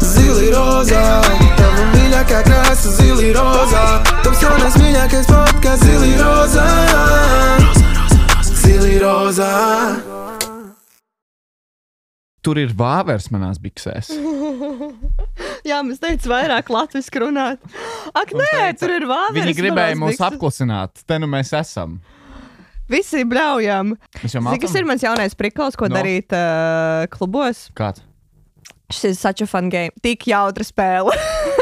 Zili rozā, tava mīļākā krāsa zili rozā. Tavs jaunais mīļākais podcasts zili rozā. Zili rozā. Tur ir vāvers manās biksēs. Jā, mēs teicu vairāk latviski runāt. Ak, nē, teica, tur ir vāveres. Viņi gribēja mūs apklusināt. Te nu mēs esam. Visi bļaujam. Zini, kas ir mans jaunais prikals, ko darīt klubos? Kāds? Šis ir such a fun game. Tik jautra spēle.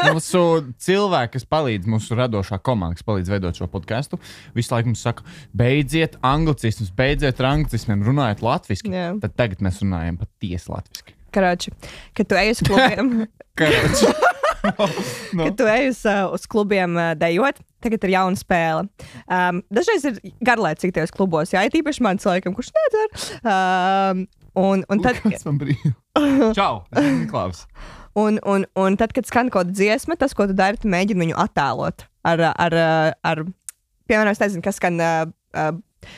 Mūsu cilvēki, kas palīdz, mūsu radošā komanda, kas palīdz veidot šo podcastu, visu laiku mums saka, beidziet anglicismus, beidziet ar anglicismiem, runājiet latviski. Jā. Tad tagad mēs runājam patiesi latviski. Karoči, kad tu ej uz klubiem... Karoči. No. Kad tu ej uz klubiem dejot, tagad ir jauna spēle. Dažreiz ir garlaicīgi tajos klubos, jā, īpaši man cilvēkam, kurš nedzer. Un tad... Kāds man brīv? Čau, Niklaus. Un tad, kad skan kaut kāda dziesma, tas, ko tu dari, tu mēģini viņu attēlot ar piemēram, es nezinu, kas skan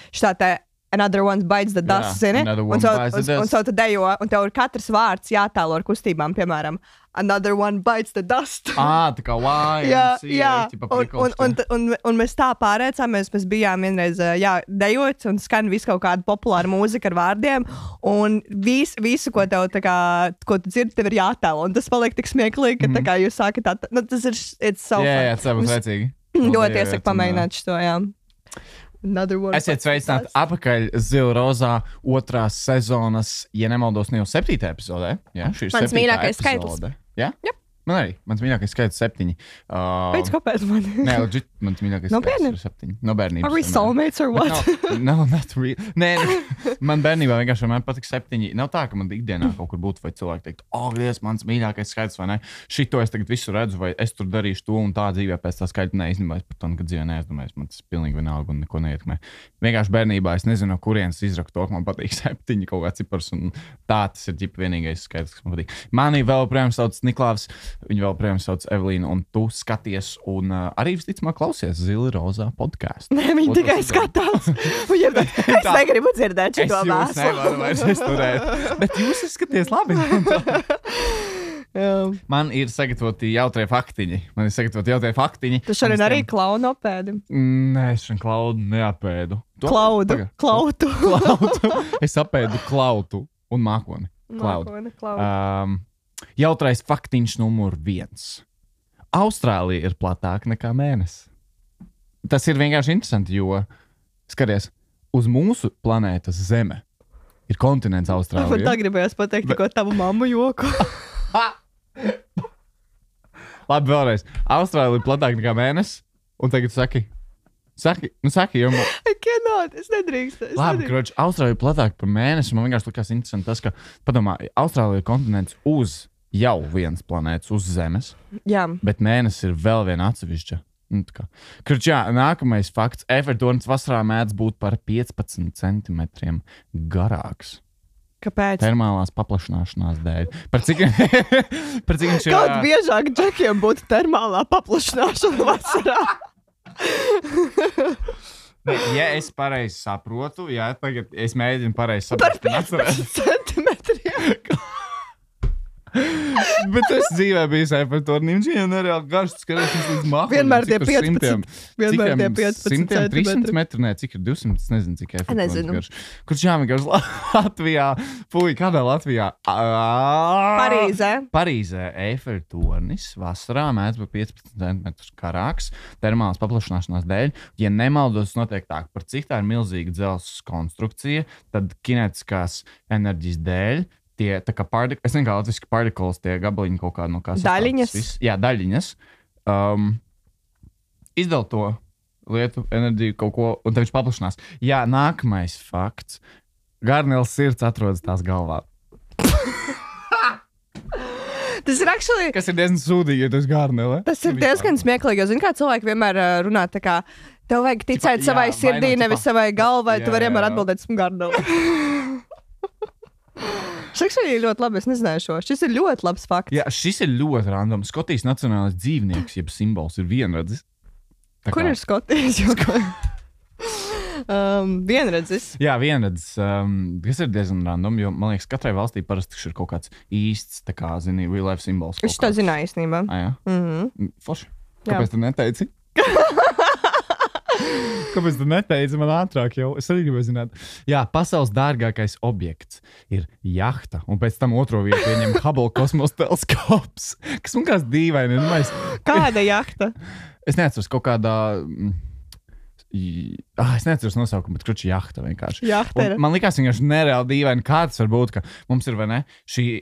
šitā te Another One Bites the Dust, zini? Un so tu dejo, un tev ir katrs vārds jātēlo ar kustībām, piemēram, Another One Bites the Dust. Tā kā un mēs tā pārēcāmies, mēs bijām vienreiz, dejot, un skan visu kaut kādu populāru mūziku ar vārdiem, un visu, ko tev, tā kā, ko tu dzirdi, tev ir jātēlo, un tas paliek tik smieklīgi, ka tā kā jūs sākat tas ir, it's so fun. Jā, tas būs vecīgi. Ļoti iesaku pamēģināt šo, jā. Esiet sveicināti atpakaļ Zili rozā 2. sezonas, ja nemaldos, ne jau 7. epizodē. Jā, šī ir 7. mīļākais skaitlis. Jā? Yep. Man arī. Mans mīļākais skaitlis 7. Pēc kāpēc man? Nē, legit, mans mīļākais skaitlis ir 7. No bērnības. Are we soulmates or what? No, not really. Nē, man bērnībā vienkārši man patīk 7. Nav tā, ka man ikdienā kaut kur būtu, vai cilvēki teikt, Dievs, mans mīļākais skaitlis, vai ne? Šito es tagad visu redzu, vai es tur darīšu to un tā dzīvē pēc tā skaitļa neizdomājos par to, kad dzīvē neizdomājos. Man tas pilnīgi vienalga un neko neietekmē. Vienkārši bērnībā es nezinu, no kurienes izraktu to, ka man patīk 7 kaut kāds cipars, un tā tas ir ģipa vienīgais skaitlis, kas man patīk. Mani vēl projām sauc Niklaus, viņu vēl projām sauc Evelīna, un tu skaties un arī visticamāk klausies Zili rozā podcastu. Nē, viņi tikai skatās. Es negribu dzirdēt šo vēstu. Es jūs nevaru vairs izturēt, bet jūs skaties labi. Man ir sagatavoti jautrie faktiņi. Tu šodien arī klaunu apēdi? Nē, es šodien klaudu neapēdu. Klautu. Es apēdu klautu un mākoni. Klaudu. Jautrais faktiņš numur 1. Austrālija ir platāka nekā mēnesis. Tas ir vienkārši interesanti, jo, skaties, uz mūsu planētas Zeme ir kontinents Austrālija. Man tā gribējās pateikt tikko tavu mammu joku. Labi, vēlreiz. Austrālija ir platāka nekā mēnesis, un tagad saki, jo... I cannot, es nedrīkstu. Labi, kroči, Austrālija ir platāka par mēnesi, man vienkārši likās interesanti tas, ka, padomā, Austrālija ir kontinents uz jau viens planētas, uz Zemes, jā. Bet mēnesis ir vēl viena atsevišķa. Kroči, nākamais fakts. Eiffeltornis vasarā mēdz būt par 15 centimetriem garāks. Kāpēc? Termālās paplašināšanās dēļ. Par cik viņš ir... Kaut biežāk džekiem būtu termālā paplašināšana vasarā. Ja es pareizi saprotu, tagad es mēģinu pareizi saprast. Par 15 centimetriem. Bet es dzīvē biju Eiffeltornī, un šī nereāli garš, skaties līdz mākam. Vienmēr tie 15. Vienmēr tie 15 centimetri. 300 metru, nē, cik ir 200, es nezinu, cik Eiffeltornis garš. Kurš jāmēgās Latvijā, kādā Latvijā? Parīzē Eiffeltornis vasarā mēdz būt 15 centimetrus karāks, termālas paplašināšanās dēļ. Ja nemaldos, notiek tā, par cik tā ir milzīga dzelzs konstrukcija, tad kinetiskās enerģijas dēļ tie, tā kā es nezinu, kā latviski particles, tie gabaliņi kaut kā no kā sastāvs. Daļiņas. Jā, daļiņas. Izdala to lietu, enerģiju, kaut ko, un tad viņš paplašinās. Jā, nākamais fakts. Garneles sirds atrodas tās galvā. Tas ir actually... Kas ir diezgan sūdīgi, ja tu esi Garnele. Tas ir diezgan smieklīgi, jo zini, kā cilvēki vienmēr runā tā kā, tev vajag ticēt savai sirdī, nevis savai galvai, tu vari vienmēr atbildēt, esmu Garnele. Šis ir ļoti labi, es nezināju šo. Šis ir ļoti labs fakts. Jā, šis ir ļoti random. Skotijas nacionālais dzīvnieks, jeb simbols ir vienradzis. Kur ir Skotijas? Vienredzis. Jā, vienredzis, kas ir diezgan random, jo, man liekas, katrai valstī parasti ir kaut kāds īsts, tā kā, zini, real life simbols. Es to zināju īstenībā. Jā? Forši. Jā. Kāpēc tu neteici? Kāpēc tu neteici man ātrāk jau? Es arī gribēju zināt. Jā, pasaules dārgākais objekts ir jahta, un pēc tam otro vietu ieņem Hubble kosmosa teleskops, kas man kāds dīvaini. Kāda jahta? Es neatceros kaut kādā... Es neatceros nosaukumu, bet kruči jahta vienkārši. Jahta ir. Man likās vienkārši nereāli dīvaini, kāds var būt, ka mums ir, vai ne, šī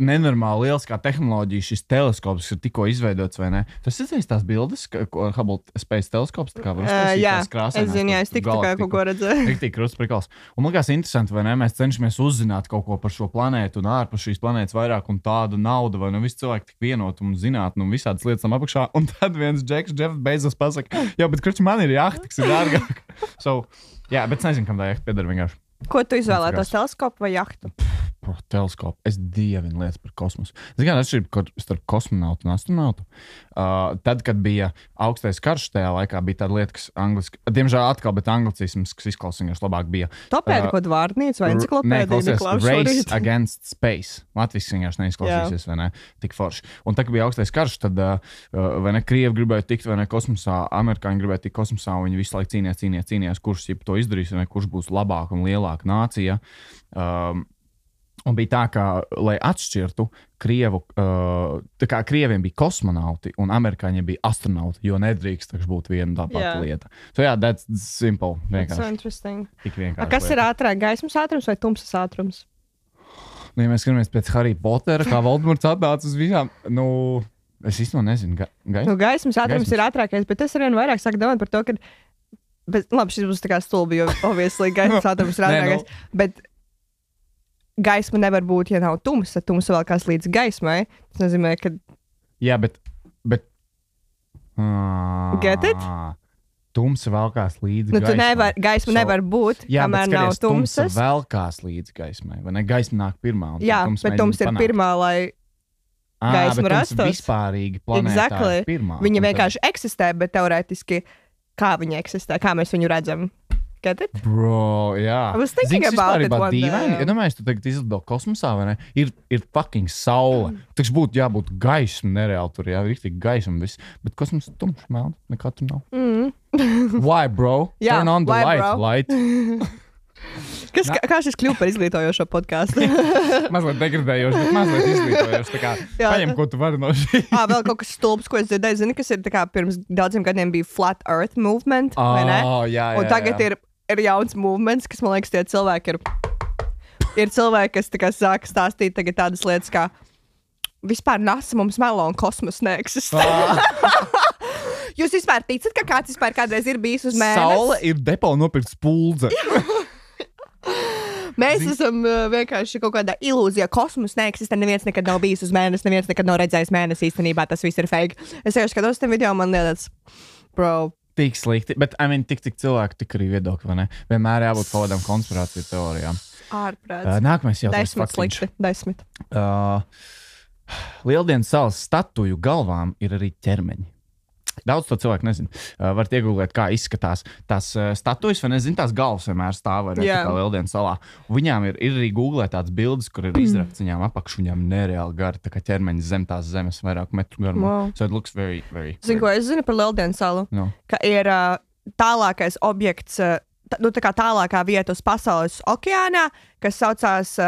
nenormāli lieliskā tehnoloģija, šis teleskops ir tikko izveidots, vai ne? Tas ir tās bildes, ko Hubble Space teleskops, tā kā var uztaisīt tās krāsainās. Es zinu, jā, es tik tā kā kaut ko redzēju. Riktīgi krusts prikals. Un man likās interesanti, vai ne? Mēs cenšamies uzzināt kaut ko par šo planētu un ārpus šīs planētas vairāk un tāda nauda, vai ne? Visi cilvēki tik vienot un zināt, un visādas lietas tam apakšā. Un tad viens Jeff Bezos pasaka, jā, bet kruči man ir jahta, kas ir dārgāk. Jā, bet es nezinu, kam tā jahta pieder vienkārši. Ko tu izvēlētos, teleskopu vai jahtu? Teleskopu. Es dievinu lietas par kosmosu. Es gan atšķirību starp kosmonautu un astronautu. Tad, kad bija augstais karš, tajā laikā bija tāda lieta, kas angliski, diemžēl atkal, bet anglicisms, kas izklausījās labāk bija. Topēdi kaut vārdnīca vai enciklopēdija? Race Against Space. Latvijas vienkārši neizklausīsies, vai ne? Tik forši. Un tad, kad bija augstais karš, tad, vai ne, Krievi gribēja tikt, vai ne, kosmosā, amerikāņi gribēja tikt kosmosā, un viņi visu laiku cīnījās, kurš to izdarīs, vai ne, kurš būs labāk un lielāka nācija. Un bija tā, ka, lai atšķirtu Krievu, tā kā Krieviem bija kosmonauti un amerikāņiem bija astronauti, jo nedrīkst būt viena tā pati lieta. That's simple. Vienkārši. That's so interesting. Tik vienkārši. Kas ir ātrāk, gaismas ātrums vai tumsas ātrums? Ja mēs skatāmies pēc Harry Pottera, kā Voldemorts atnāca uz visām, es īstenībā nezinu. Gaismas ātrums ir ātrākais, bet es arvien vairāk sāku domāt par to, ka, labi, šis būs tā kā stulbi, jo obviously gaismas ātrums ir ātrākais, bet gaisma nevar būt, ja nav tumsa. Tumsa vēl kāds līdz gaismai. Tas nozīmē, ka... Jā, bet... Get it? Tumsa velkās līdz gaismai. Gaisma nevar būt, kamēr nav tumsas. Tumsa velkās līdz gaismai, vai ne? Gaisma nāk pirmā. Jā, bet tumsa ir pirmā, lai gaisma rastos. Bet vispārīgi planētā ir pirmā. Viņa vienkārši eksistē, bet teorētiski kā viņa eksistē, kā mēs viņu redzam. Get it? Bro, jā. I was thinking about it one day. Ja domāju, tu tagad izlido kosmosā, vai ne? Ir fucking saule. Taču būtu jābūt gaisma nereāli tur, jā, riktīgi gaisma viss. Bet kosmos tumšs melns, nekā tur nav. Why, bro? Jā, turn on the why, light. Kā šis kļuva par izglītojošo podkāstu? Mazliet degradējoši, bet mazliet izglītojoši. Tā kā paņem, ko tu vari no šī. Vēl kaut kas stulbs, ko es dzirdēju. Zini, kas ir tā kā pirms daudziem gadiem bija Flat Earth Movement, vai ne? Jā. Un tagad ir jauns movements, kas, man liekas, tie cilvēki ir cilvēki, kas tā kā sāka stāstīt tagad tādas lietas, kā vispār NASA mums melo un kosmos neeksistē. Jūs vispār ticat, ka kāds vispār kādreiz ir bijis uz mēnesi? Saule ir depo nopirkt spuldze. Mēs esam vienkārši kaut kādā ilūzijā. Kosmos neeksistē, neviens nekad nav bijis uz mēnesi, neviens nekad nav redzējis mēnesi. Īstenībā tas viss ir fake. Es jau skatos tam video, man liekas, bro. Tik slikti, bet tik cilvēku, tik arī viedokļi, vai ne? Vienmēr jābūt kaut kādām konspirāciju teorijām. Ārprāts. Nākamais jautājums. 10 slikti, 10. Lieldienas salas statuju galvām ir arī ķermeņi. Daudz to cilvēku nezinu. Varat iegūlēt, kā izskatās tās statujas, vai nezinu, tās galvas vienmēr stāv arī kā Lieldienas salā. Viņām ir arī googlēt tādas bildes, kur ir izrakts viņām apakšu, viņām nereāli gari, tā kā ķermeņi zem tās zemes vairāk metru garumā. Wow. So it looks very, very... Zinu, ko es zinu par Lieldienas salu? No. Ka ir tālākais objekts, tā kā tālākā vieta uz pasaules okeānā, kas saucās...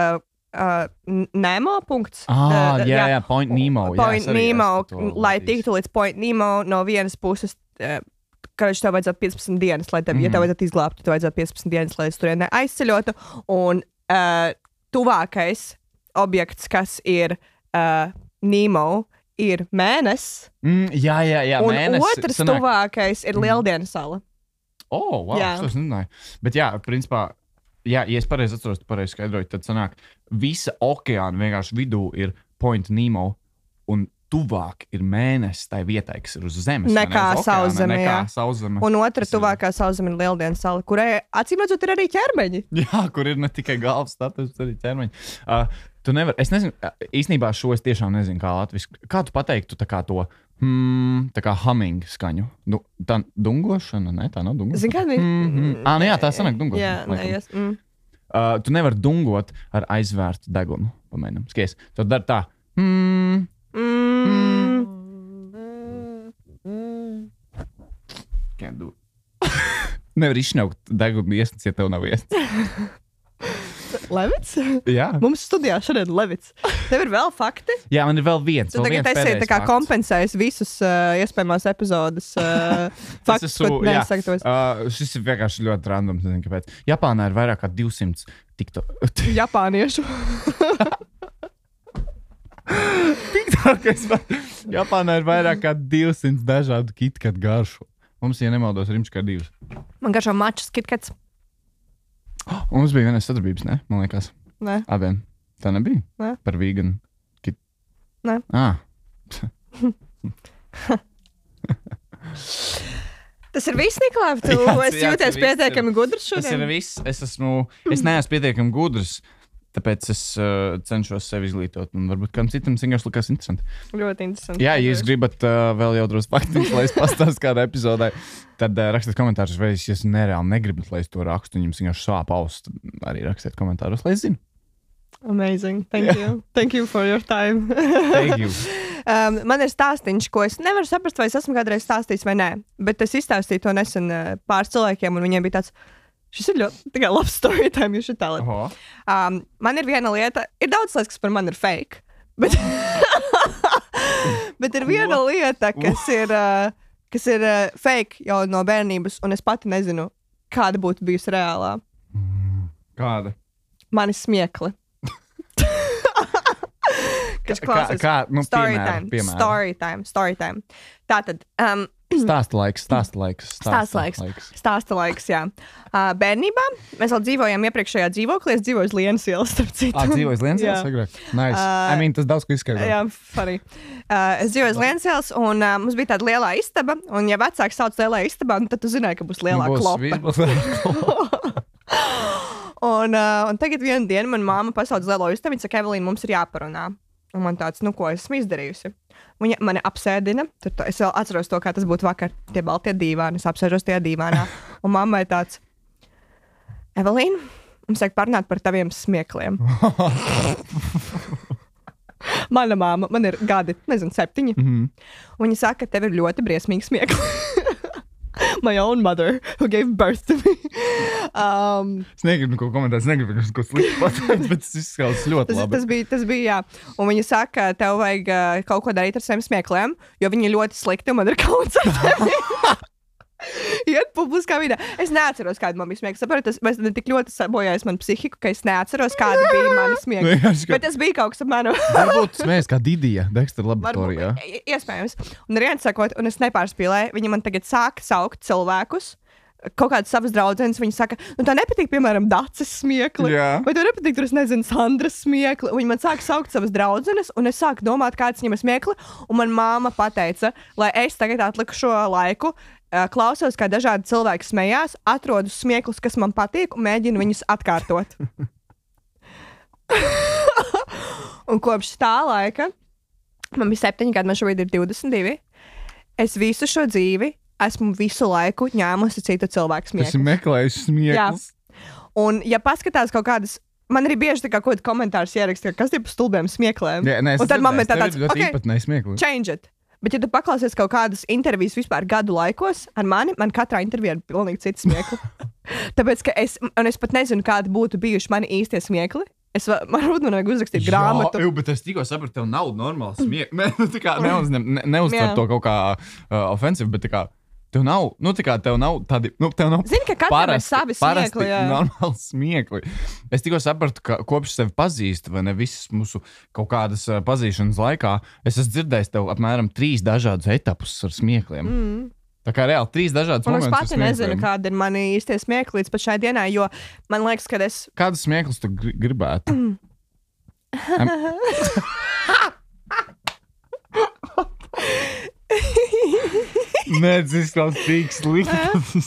Nemo punkts. Jā, Point Nemo. Point Nemo, lai tiktu līdz Point Nemo no vienas puses, ka tev vajadzētu 15 dienas, lai tev, ja tev vajadzētu izglābt, tev vajadzētu 15 dienas, lai es turienē aizceļotu. Un tuvākais objekts, kas ir Nemo, ir mēnesis. Jā, un mēnesis. Otrs tuvākais ir Lieldienas sala. Wow, es nezināju. Bet jā, principā, ja es pareizi atceros, tu pareizi skaidroju, tad sanāk, visa okeāna vienkārši vidū ir Point Nemo un tuvāk ir mēnesis tai vietai, kas ir uz zemes. Nekā sauszeme, jā. Sauszeme. Un otra tuvākā sauszeme ir Lieldienas sala, kurai acīmredzot ir arī ķermeņi. Jā, kur ir ne tikai galvas status, bet arī ķermeņi. Tu nevari, es nezinu, īstenībā šo es tiešām nezinu, kā latviski. Kā tu pateiktu tā kā to Tā kā humming skaņu. Tā dungošana? Nē, tā nav dungošana. Zini, kā viņi? Jā, tā sanāk dungošana. Jā, nē, Tu nevari dungot ar aizvērtu degunu. Pamēģinām. Skaties, tu dari tā. Can't do it. Nevar izšņaukt degunu iesnas, ja tev nav iesnas. Levits? Jā. Mums studijā šodien Levits. Tev ir vēl fakti? Jā, man ir vēl viens. Tu tagad esi tā kā kompensējis visus iespējamās epizodes faktus, ko nesagatavos. Šis ir vienkārši ļoti randoms, nezinu kāpēc. Japānā ir vairāk kā 200 Japāniešu. Japānā ir vairāk kā 200 dažādu KitKat garšu. Mums, ja nemaldos, ir kā 2. Man garšo mačs KitKats. Mums bija vienas sadarbības, ne? Man liekas. Nē. Abiem. Tā nebija? Nē. Par vegan. Nē. Tas ir viss, Nikolai? Tu esi jūties pietiekami gudrs šodien? Tas ir viss. Es neesmu pietiekami gudrs, tāpēc es cenšos sevi izglītot. Un varbūt kādam citam vienkārši likās interesanti. Ļoti interesanti. Jā, ja jūs gribat vēl jau drusku faktiņus, lai es pastāstu kādā epizodē, tad rakstiet komentārus, vai es nereāli negribat, lai es to rakstu, un jums vienkārši sāp auss, tad arī rakstiet komentāros, lai es zinu. Amazing. Thank you. Thank you for your time. Thank you. Man ir stāstīns, ko es nevaru saprast, vai es esmu kādreiz stāstījis vai nē, bet es izstāstīju to nesen pāris cilvēkiem, un viņiem bija tāds, šis ir ļoti labs story time, jūs šeit tālāk. Man ir viena lieta, ir daudz lietas, kas par mani ir fake, bet, bet ir viena lieta, kas ir fake jau no bērnības, un es pati nezinu, kāda būtu bijusi reālā. Kāda? Mani smiekli. Kas klausās? Story time. Tātad. Stāsta laiks, jā. Bērnībā mēs vēl dzīvojām iepriekšējā dzīvoklī. Es dzīvoju uz Lienas ielas, starp citu. Dzīvoju uz Lienas ielas? Agrāk. Nice. Tas daudz ko izskaidro. Jā, funny. Es dzīvoju uz Lienas ielas, un mums bija tāda lielā istaba. Un ja vecāks sauc lielā istabā, tad tu zināji, ka būs lielā klopa. Un tagad vienu dienu man māma pasauc lielo istabu. Viņa saka, Evelīna, mums ir jāparunā. Un man tāds, ko esmu izdarījusi? Viņa mani apsēdina. Es vēl atceros to, kā tas būtu vakar. Tie baltie dīvāni. Es apsēžos tajā dīvānā. Un mammai tāds, Evelīna, mums vajag parunāt par taviem smiekliem. Mana māma, man ir gadi, 7. Un viņa saka, tev ir ļoti briesmīgi smiekli. My own mother, who gave birth to me. Es negribu ko komentēt, es negribu ko slikti pateikt, bet tas izskatās ļoti labi. Tas bija, jā. Un viņa saka, tev vajag kaut ko darīt ar saviem smiekliem, jo viņi ļoti slikti un man ir kauns ar tevi. Iet publiskā vidē. Es neatceros, kāda man bija smiekla. Saprotu, tas tik ļoti sabojājis man psihiku, ka es neatceros, kāda bija mana smiekla. Bet tas bija kaut kas ar manu. Varbūt smējas kā Didija, Dexter laboratorijā. Iespējams. Un ar vienu sakot, un es nepārspīlēju, viņi man tagad sāk saukt cilvēkus, kaut kādas savas draudzenes, viņi saka, tā nepatīk, piemēram, Daces smiekli, vai tev nepatīk, tur es nezinu, Sandras smiekli, un viņi man sāk saukt savas draudzenes, un es sāku domāt, kāds viņam ir smiekli, un man māma pateica, lai es tagad atliku šo laiku, klausos, kā dažādi cilvēki smējās, atrodu smieklus, kas man patīk, un mēģinu viņus atkārtot. Un kopš tā laika, man bija 7 gadi, man šobrīd ir 22, es visu šo dzīvi esmu visu laiku ņēmusi citu cilvēku smieklus. Tas ir meklējis smieklus. Un, ja paskatās kaut kādas, man arī bieži tā kā kaut kādi komentārus ieraksta, kas tie pa stulbiem smiekliem. Jā, un tad man ir tāds, change it. Bet, ja tu paklausies kaut kādas intervijas vispār gadu laikos ar mani, man katrā intervijā ir pilnīgi cits smiekli. Tāpēc, ka es pat nezinu, kādi būtu bijuši mani īstie smiekli. Man vajag uzrakstīt grāmatu. Jā, bet es tikko sapratu, tev nav normāls smiekli. Neuztver to kaut kā ofensīvi, bet tā kā tev nav, tev nav tādi, tev nav zini, ka katram ir savi smiekli, jā. Normāli smiekli. Es tikko sapratu, ka kopš sevi pazīstu, vai ne visas mūsu kaut kādas pazīšanas laikā, es esmu dzirdējis tev apmēram 3 dažādus etapus ar smiekliem. Tā kā reāli 3 dažādas momentus. Un es pati nezinu, kāda ir mani īstie smiekli līdz pat šai dienai, jo man liekas, ka es... Kādas smieklus tu gribētu? Nē, tas izklausās tik slikti.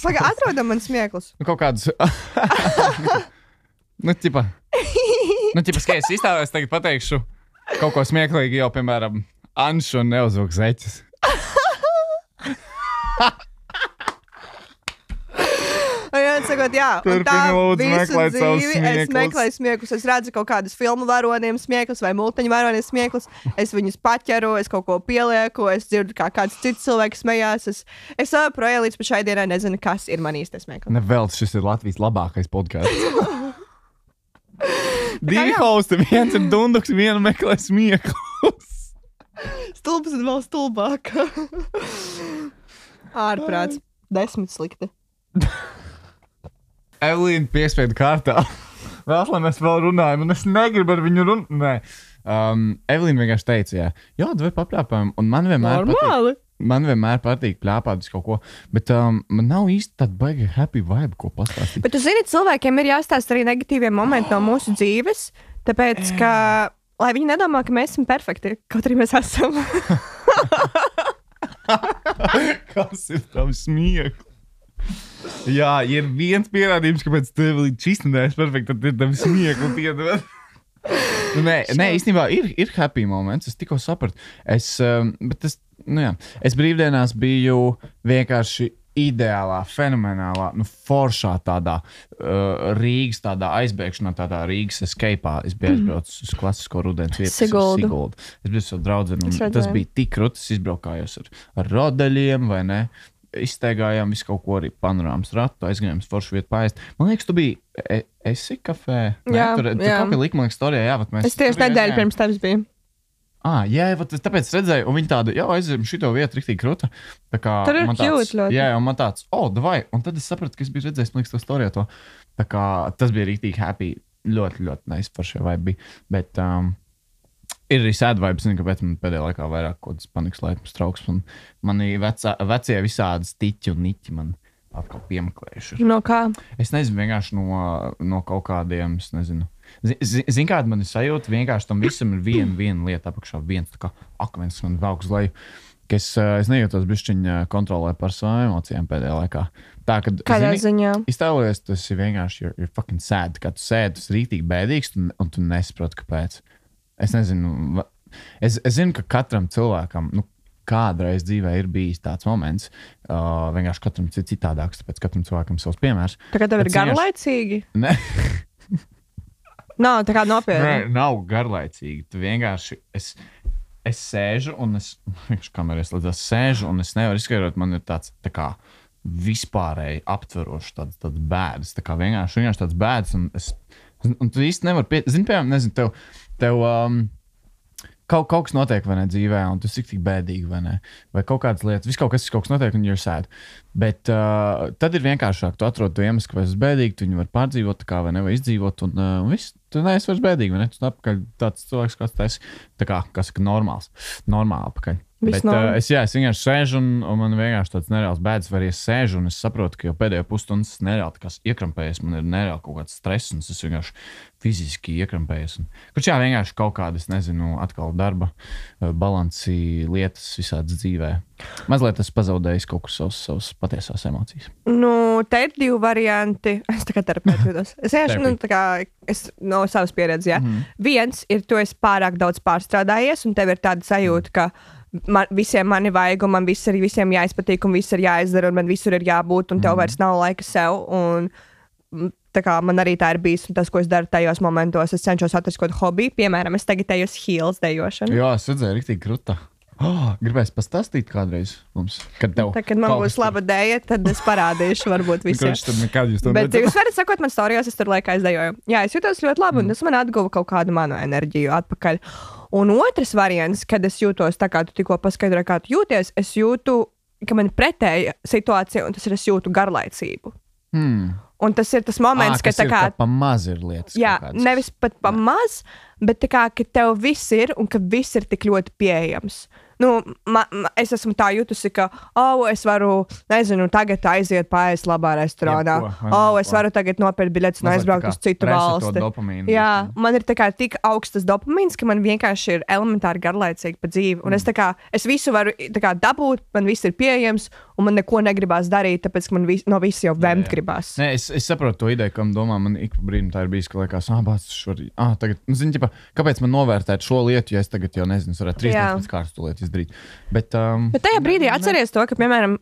Pagā, atrodam man smieklus. Kaut kādus... ķipa, skaties, izstāvēs tagad pateikšu kaut ko smieklīgi jau, piemēram, Anšu un neuzvilk zeķes. Sakot, jā, un tā visu dzīvi es meklēju smieklus. Es redzu kaut kādus filmu varoniem smieklus vai multiņu varoniem smieklus. Es viņus paķeru, es kaut ko pielieku, es dzirdu, kā kāds cits cilvēks smējās. Es joprojām līdz šai dienai nezinu, kas ir man īstais smieklis. Nevēl, šis ir Latvijas labākais podkāsts. Divi hosti, viens ir dunduks, vienu meklē smieklus. Stulbs un vēl stulbāk. Ārprāts. 10 slikti. Evelīna piespiedu kārtā. Vēl, lai mēs vēl runājam, un es negribu ar viņu runāt. Nē. Evelīna vienkārši teica, jā, tu vari papļāpājam, un man vienmēr patīk pļāpāt uz kaut ko, bet man nav īsti tāda baigi happy vibe, ko pastāstīt. Bet tu zini, cilvēkiem ir jāstāst arī negatīvie momenti no mūsu dzīves, tāpēc, ka, lai viņi nedomā, ka mēs esam perfekti, kaut arī mēs esam. Kas ir tavs smieklis? Jā, ja ir viens pierādījums, kāpēc tev līdz šīs nedēļas perfekti, tad ir tavs smieklis piedod. Nē, īstenībā ir happy moments, es tikko sapratu. Es brīvdienās biju vienkārši ideālā, fenomenālā, foršā tādā Rīgas tādā aizbēgšanā, tādā Rīgas escape'ā. Es biju aizbraucis uz klasisko rudens vietu. Siguldu. Es biju savu draudzeni, un tas bija tik krūtis, izbraukājos ar rodeļiem, vai ne? Izsteigājām visu kaut ko arī panorāmas ratu, aizgājām uz foršu vietu paēst. Man liekas, tu biji esi kafē? Jā, tur kaut kā lika, man liekas, storijā, jā, bet mēs... Es tieši nedēļu pirms tevis biju. Jā, tāpēc redzēju, un viņi tādu, aizējām šito vietu riktīgi kruta. Tur ir cute ļoti. Jā, un man tāds, davai, un tad es sapratu, ka es biju redzējis, man liekas, to storijā to. Tā kā tas bija riktīgi happy, ļoti, ļoti nice par šo vibe bija, bet... Ir arī sad vibes, kāpēc man pēdējā laikā vairāk kaut kāds panikas laipums trauksmes. Mani vecie visādi stiķi un niķi man atkal piemeklējuši. No kā? Es nezinu, vienkārši no kaut kādiem, es nezinu. Zini, kāda man ir sajūta? Vienkārši tam visam ir viena lieta apakšā, viens tā kā akmens, kas man velk uz leju. Es nejūtos bišķiņa kontrolē par savām emocijām pēdējā laikā. Tā, kad, kādā ziņā? Iztēlojies, tas ir vienkārši you're fucking sad. Kad tu sēdi, tas ir rītīgi bēdīgs un tu nesaproti, kāpēc. Es nezinu, es zinu, ka katram cilvēkam, kādreiz dzīvē ir bijis tāds moments, vienkārši katram citādāks, tāpēc katram cilvēkam savs piemērs. Tā kā tev ir garlaicīgi? Ne. Nav, tā kā nopietni. Nē, nav garlaicīgi. Tu vienkārši, es sēžu un kamerēs līdzās sēžu un es nevaru izskaidrot, man ir tāds, tā kā vispārēji aptverošs tāds bēdas, tā kā vienkārši tāds bēdas un tu īsti nevar zini, piemēram, nezinu, tev kaut kas notiek, vai ne, dzīvē, un tas ir tik bēdīgi, vai ne, vai kaut kādas lietas, kaut kas notiek, un you're sad. Bet tad ir vienkāršāk, tu atrod to iemeslu, ka es esmu bēdīgi, tu viņu var pārdzīvot, tā kā, vai ne, vai izdzīvot, un viss, tu neesi vairs bēdīgi, vai ne, tu apakaļ tāds cilvēks, kāds tu esi, tā kā saka, normāli apakaļ. Bet es vienkārši sēžu un man vienkārši tāds nereāls bēdas, vai arī es sēžu un es saprotu, ka jau pēdējo pusstundas es nereāli tā kā iekrampējies, man ir nereāli kaut kāds stress un es vienkārši fiziski iekrampējies. Kurš vienkārši kaut kādas, nezinu, atkal darba, balansi, lietas visādas dzīvē. Mazliet es pazaudēju kaut kur savas patiesās emocijas. Te ir 2 varianti. Es tā kā terapeiti jūtos. Es no savas pieredzes, jā. Viens ir, tu esi pārāk daudz pārstrādājies un tev ir tāda sajūta, ka visiem mani vajag, un man visiem jāizpatīk, un viss ir jāizdara, un man visur ir jābūt, un tev vairs nav laika sev. Un, tā kā man arī tā ir bijis, un tas, ko es daru tajos momentos, es cenšos atrast kaut hobiju. Piemēram, es tagad eju uz heels dejošanu. Jā, es redzēju, riktīgi kruta. Gribēs pastāstīt kādreiz mums, kad tev... Kad man būs laba dēja, tad es parādīšu varbūt visiem. Bet jūs varat sakot man storijos, es tur laikā izdejoju. Jā, es jūtos ļoti labi, un tas man atguva kaut kādu manu enerģiju atpakaļ. Un otrs variants, kad es jūtos tā kā tu tikko paskaidroji, kā tu jūties, es jūtu, ka man ir pretēja situācija, un tas ir, es jūtu garlaicību. Un tas ir tas moments, ka tā kā... pa maz ir lietas. Jā, nevis pat pa maz, bet tā kā, ka tev viss ir, un ka viss ir tik ļoti pieejams. Es esmu tā jutusi, ka, es varu, nezinu, tagad aiziet paēst labā restorānā. Es varu tagad nopirkt biļetes un aizbraukt uz citu valsti. Jā, man ir tā kā tik augstas dopamīns, ka man vienkārši ir elementāri garlaicīgi pa dzīvi. Un es visu varu tā kā dabūt, man viss ir pieejams, un man neko negribās darīt, tāpēc, ka man no visa jau vemt gribās. Nē, es saprotu to ideju, kam domā, man ik brīdim tā ir bijis, ka liekas, tagad, zini, ķipa, kāpēc man novērtēt šo lietu, ja es tagad jau nezinu, es varētu 3 dienas pēc kārtas to lietu izdarīt. Bet tajā brīdī atceries to, ka, piemēram,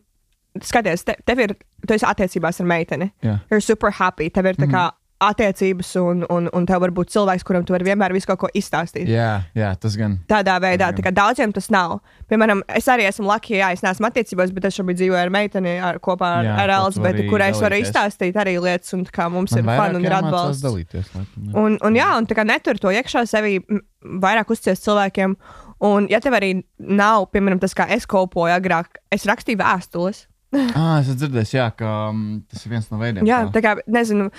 skaties, tu esi attiecībās ar meiteni. You're super happy. Tev ir tā kā attiecības un tev var būt cilvēks, kuram tu vari vienmēr visu kaut ko izstāstīt. Jā, tas gan. Tādā veidā, tā kā daudziem tas nav. Piemēram, es arī esmu lucky, es neesmu attiecībās, bet es šobrīd dzīvoju ar meiteni kopā ar Elizabeti, kurai es varu izstāstīt arī lietas, un kā mums ir fun un ir atbalsts. Dalīties, un tā kā netur to iekšā sevī vairāk uzcies cilvēkiem. Un ja tev arī nav, piemēram, tas, kā es kopoju agrāk, es rakstīju vēstules. Es dzirdēju, ka tas ir viens no veidiem. Jā, tā kā, nezinu,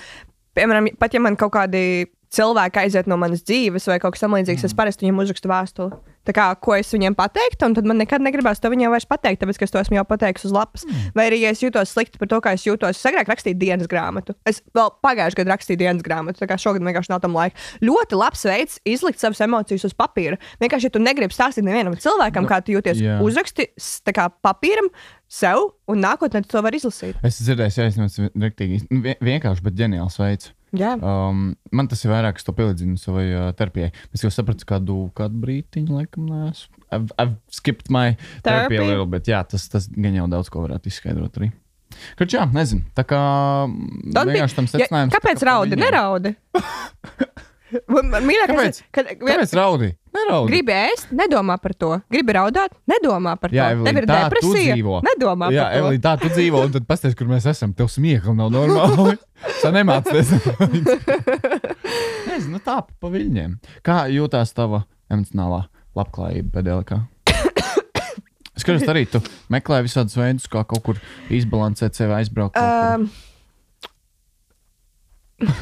piemēram, pat ja man kaut kādi cilvēki aiziet no manas dzīves vai kaut kas samlīdzīgs, es parasti viņiem uzrakstu vēstuli. Tā kā, ko es viņiem pateiktu, un tad man nekad negribās to viņiem vairs pateikt, tāpēc, ka es to esmu jau pateikusi uz lapas. Vai arī, ja es jūtos slikti par to, kā es jūtos, es agrāk rakstīju dienas grāmatu. Es vēl pagājušajā gadā rakstīju dienas grāmatu, tā kā šogad vienkārši nav tam laika. Ļoti labs veids izlikt savas emocijas uz papīra. Vienkārši, ja tu negribi stāstīt nevienam cilvēkam, kā tu jūties, uzraksti tā kā papīram sev, un nākotnē tu to var izlasīt. Es dzirdēju, vienkārši, bet ģeniāls veids. Man tas ir vairāk, es to pielīdzinu savai terapijai. Es jau sapratu kādu brītiņu, laikam, neesmu. I've skipped my therapy a little bit. Jā, tas gan jau daudz ko varētu izskaidrot arī. Kaut jā, nezinu. Tā kā vienkārši tam secinājums. Kāpēc raudi? Neraudi. Kāpēc raudi? Neraudi. Gribi ēst? Nedomā par to. Gribi raudāt? Nedomā par to. Tev ir depresija? Nedomā par to. Jā, Evelīna, tā tu dzīvo, un tad pasties, kur mēs esam. Tev smiekli nav normāli. Tā nemācies. Nezinu, tā pa viļņiem. Kā jūtās tava emocionālā labklājība pēdējā laikā? Es skatos arī, tu meklē visādus veidus, kā kaut kur izbalansēt sevi, aizbraukt kaut kur.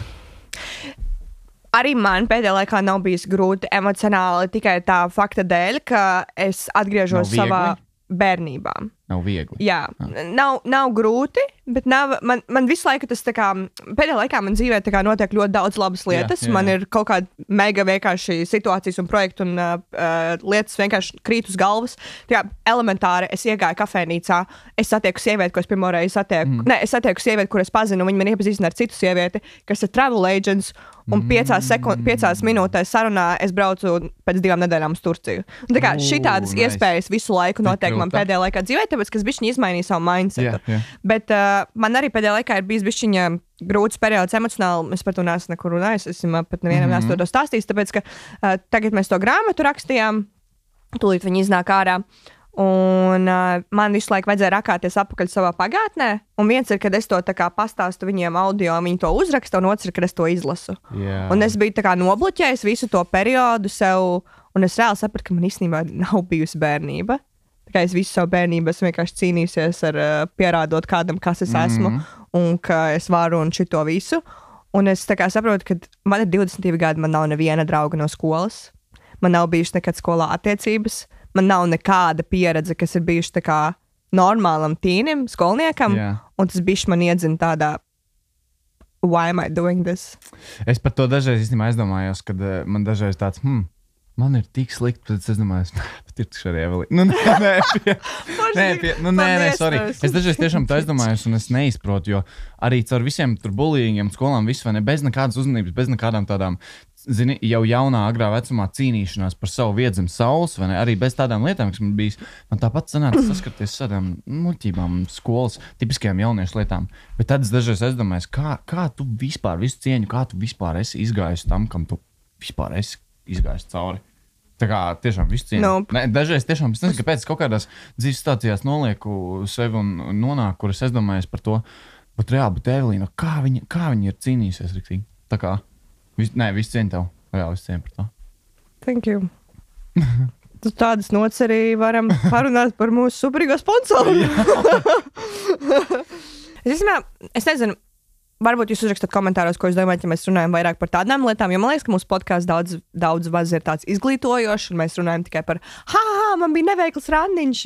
Arī man pēdējā laikā nav bijis grūti emocionāli tikai tā fakta dēļ, ka es atgriežos savā bērnībā. Nav viegli. Jā, nav grūti, bet man visu laiku tas tā kā, pēdējā laikā man dzīvē tā kā notiek ļoti daudz labas lietas. Jā. Man ir kaut kāda mega vienkārši situācijas un projektu un lietas vienkārši krīt uz galvas. Tā kā elementāri es iegāju kafejnīcā, es satieku sievieti, ko es pirmoreiz satieku. Es satieku sievieti, kur es pazinu, viņa man iepazīstina ar citu sievieti, kas ir travel agents, un 5 minūtēs sarunā es braucu pēc 2 nedēļām uz Turciju. Un tā kā šitādas iespējas visu laiku notiek man pēdējā laikā dzīvē, tāpēc, ka es bišķiņi izmainīju savu mindsetu. Bet man arī pēdējā laikā ir bijis bišķiņa grūts periods emocionāli. Es par to neesmu nekur runājis, es pat nevienam neesmu to stāstījis, tāpēc, ka tagad mēs to grāmatu rakstījām, tūlīt viņi iznāk ārā. Un man visu laiku vajadzēja rakāties apakaļ savā pagātnē. Un viens ir, kad es to tā kā pastāstu viņiem audio, viņi to uzraksta, un otrs ir, kad es to izlasu. Yeah. Un es biju tā kā nobloķējis visu to periodu sev, un es reāli sapratu, ka man īstenībā nav bijusi bērnība. Tā kā es visu savu bērnību esmu vienkārši cīnījusies ar pierādot kādam, kas es esmu, un ka es varu un šito visu. Un es tā kā saprotu, ka man ir 22 gadi, man nav neviena drauga no skolas. Man nav bijuši nekad skolā attiecības. Man nav nekāda pieredze, kas ir bijuši tā kā normālam tīnim, skolniekam, un tas bišķi man iedzina tādā, why am I doing this? Es par to dažreiz īstenībā aizdomājos, kad man dažreiz tāds, man ir tik slikti, tad es domāju, bet ir taču arī Evelīna. Nē, sorry. Es dažreiz tiešām tā aizdomājos, un es neizprotu, jo arī caur visiem tur bullyingiem, skolām, visu, vai ne, bez nekādas uzmanības, bez nekādām tādām, zini, jau jaunā, agrā vecumā cīnīšanās par savu vietu zem saules, vai ne, arī bez tādām lietām, kas man bijis, man tāpat sanāca saskarties tādām muļķībām, skolas, tipiskajām jauniešu lietām. Bet tad es dažreiz aizdomājos, kā tu vispār visu cieņu, kā tu vispār esi izgājis tam, kam tu vispār esi izgājis cauri. Tā kā tiešām visu cieņu. Nope. Dažreiz tiešām, es nezinu, kāpēc kaut kādās dzīves situācijās nolieku sevi un nonāku, kur es aizdomājos par to, bet reāli, bet Evelīna, kā viņa ir cīnījusies riktīgi. Tā kā, visu cieņu tev. Jā, visu cieņu par to. Thank you. Tu tādas nots arī varam parunāt par mūsu superīgo sponsoru. Es nezinu, varbūt jūs uzrakstat komentāros, ko jūs domājat, ja mēs runājam vairāk par tādām lietām, jo man liekas, ka mūsu podcasts daudz maz ir tāds izglītojošs, un mēs runājam tikai par, man bija neveikls randiņš,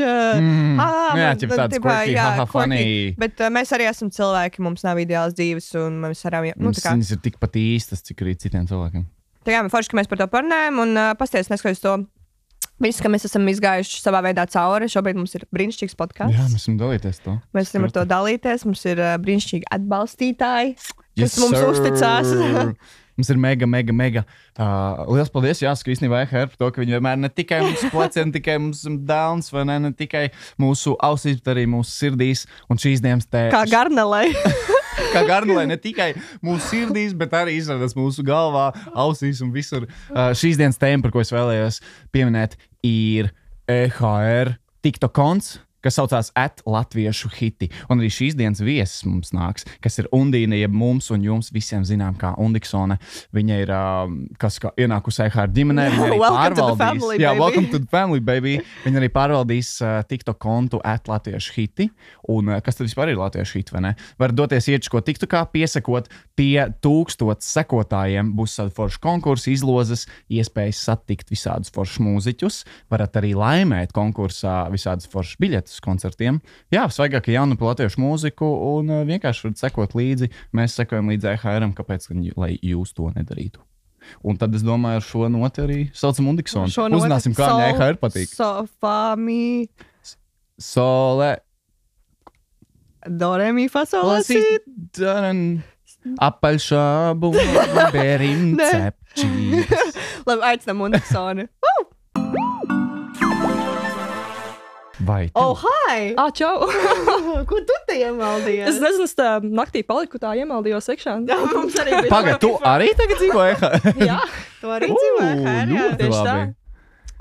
funny. Bet mēs arī esam cilvēki, mums nav ideāls dzīves, un mēs arī, viņas ir tikpat īstas, cik arī citiem cilvēkiem. Tā kā forši, ka mēs par to parunājam, un pasties, neskatoties to visu, ka mēs esam izgājuši savā veidā cauri. Šobrīd mums ir brīnišķīgs podcasts. Jā, mēs varam dalīties to. Mēs varam ar to dalīties. Mums ir brīnišķīgi atbalstītāji, kas mums uzticās. Mums ir mega liels paldies, jāsaka, īstenībā EHR par to, ka viņi vienmēr ne tikai mums plecē, ne tikai mums downs, vai ne tikai mūsu ausīs, bet arī mūsu sirdīs. Un šīs dienas Kā garnelē. Kā garnelē, ne tikai mūsu sirdīs, bet arī izrādās mūsu galvā, ausīs un visur. Šīs dienas tēma, par ko es vēlējos pieminēt, ir EHR TikTok konts, kas saucās @latviešu hiti. Un arī šīs dienas viesis mums nāks, kas ir Undīna, jeb mums un jums visiem zinām kā Undiksone. Viņa ir ienākusi EHR ģimenē. Viņa arī pārvaldīs. Welcome to the family, baby. Viņa arī pārvaldīs TikTok kontu @latviešu hiti. Un kas tad vispār ir latviešu hiti, vai ne? Var doties iečko TikTokā, piesakot pie 1000 sekotājiem. Būs tāda forša konkursa, izlozes, iespējas satikt visādus foršus mūziķus. Varat arī laimēt konkursā visādas foršas biļetes koncertiem. Jā, svaigāka jauna par latviešu mūziku un vienkārši varat sekot līdzi. Mēs sekojam līdzi EHR-am, kāpēc, lai jūs to nedarītu. Un tad es domāju, ar šo noti arī saucam Undiksonu. Uzzināsim, kā viņai EHR patīk. Sofami. Sole. Do, re, mi, fa, sol, la, si. Apaļšābu, berim, cepčības. Labi, aicinām Undiksoni. Vai Oh, hi! Čau! Ko tu te iemaldījies? Es nezinu, es tā naktī paliku, tā iemaldījos iekšā. Jā, mums arī bija. Pagaid, tu arī tagad dzīvo EHR? Jā, Tu arī dzīvoji EHR, jā. tieši tā.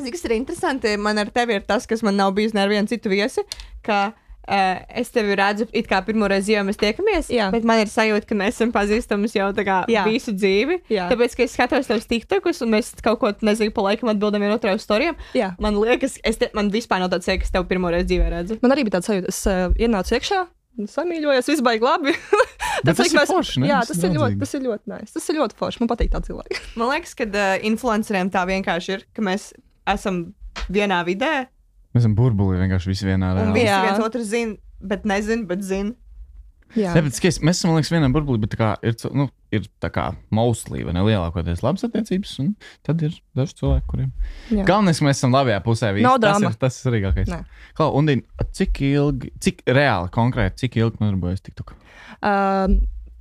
Zini, kas ir interesanti, man ar tevi ir tas, kas man nav bijis ne ar vienu citu viesi, ka es tevi redzu it kā pirmo reizi, jau mēs tiekamies, Jā. bet man ir sajūta, ka mēs esam pazīstamas jau tā kā Jā. visu dzīvi. Jā. Tāpēc, ka es skatos tavus TikTokus un mēs kaut ko, nezinu, pa laikam atbildam vienu otru uz storijām. Jā. Man liekas, man vispār nav tāds sajūta, ka es tevi pirmo reizi dzīvē redzu. Man arī bija tāds sajūta, es ienācu iekšā, samīļojos, viss baigi labi. Bet tas ir forši, ne? Jā, Tas tas ir ir draudzīgi. ļoti nice. Tas ir ļoti forši, man patīk tā cilvēki. Man liekas, ka influenceriem tā vienkārši ir, ka mēs esam vienā vidē Mēs esam burbulī vienkārši visi vienā un reāli. visi Jā. viens otru zina, bet nezina, bet zina. Jā. Ne, bet skaties, mēs esam, man liekas, vienā burbulī, bet tā kā ir tā kā mostly, vai ne, lielākoties labas attiecības, un tad ir daži cilvēki, kuriem. Jā. Galvenais, ka mēs esam labajā pusē. Visi. Nav drama. Tas ir svarīgākais. Nē. Klau, Undīna, cik reāli, konkrēti, cik ilgi nodarbojas TikTok?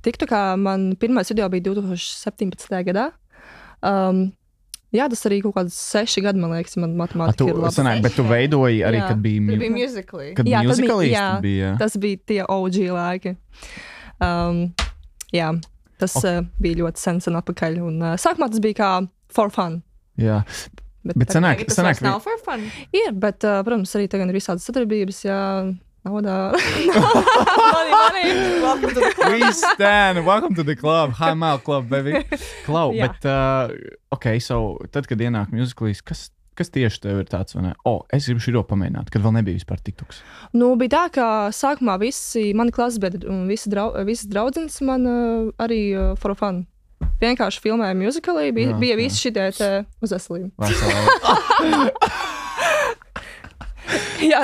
TikTokā man pirmais video bija 2017. gadā. Jā, tas arī kaut kāds 6 gadi, man liekas, man matemātika ir laba. Sanāk, bet tu veidoji arī, Jā. kad bija, Tur bija musically. kad Jā, tad musicalīsti jā, bija. tas bija tie OG laiki. Jā, tas bija ļoti sen atpakaļ. Un, sākumā tas bija kā for fun. Jā, bet tagad sanāk, Tas vairs nav for fun. ir, bet, protams, arī tagad ir visādas sadarbības, jā, naudā. Money. welcome to the club, High Mile Club, baby. Klau, Jā. bet, so, tad, kad ienāk musicalīs, kas tieši tev ir tāds, vai ne? Es gribu šito pamēģināt, kad vēl nebija vispār TikToks. Nu, bija tā, ka sākumā visi mani klasbiedri un visas draudzenes man arī for fun. Vienkārši filmēja musicalī, bija visi šitie te uz veselību. Jā,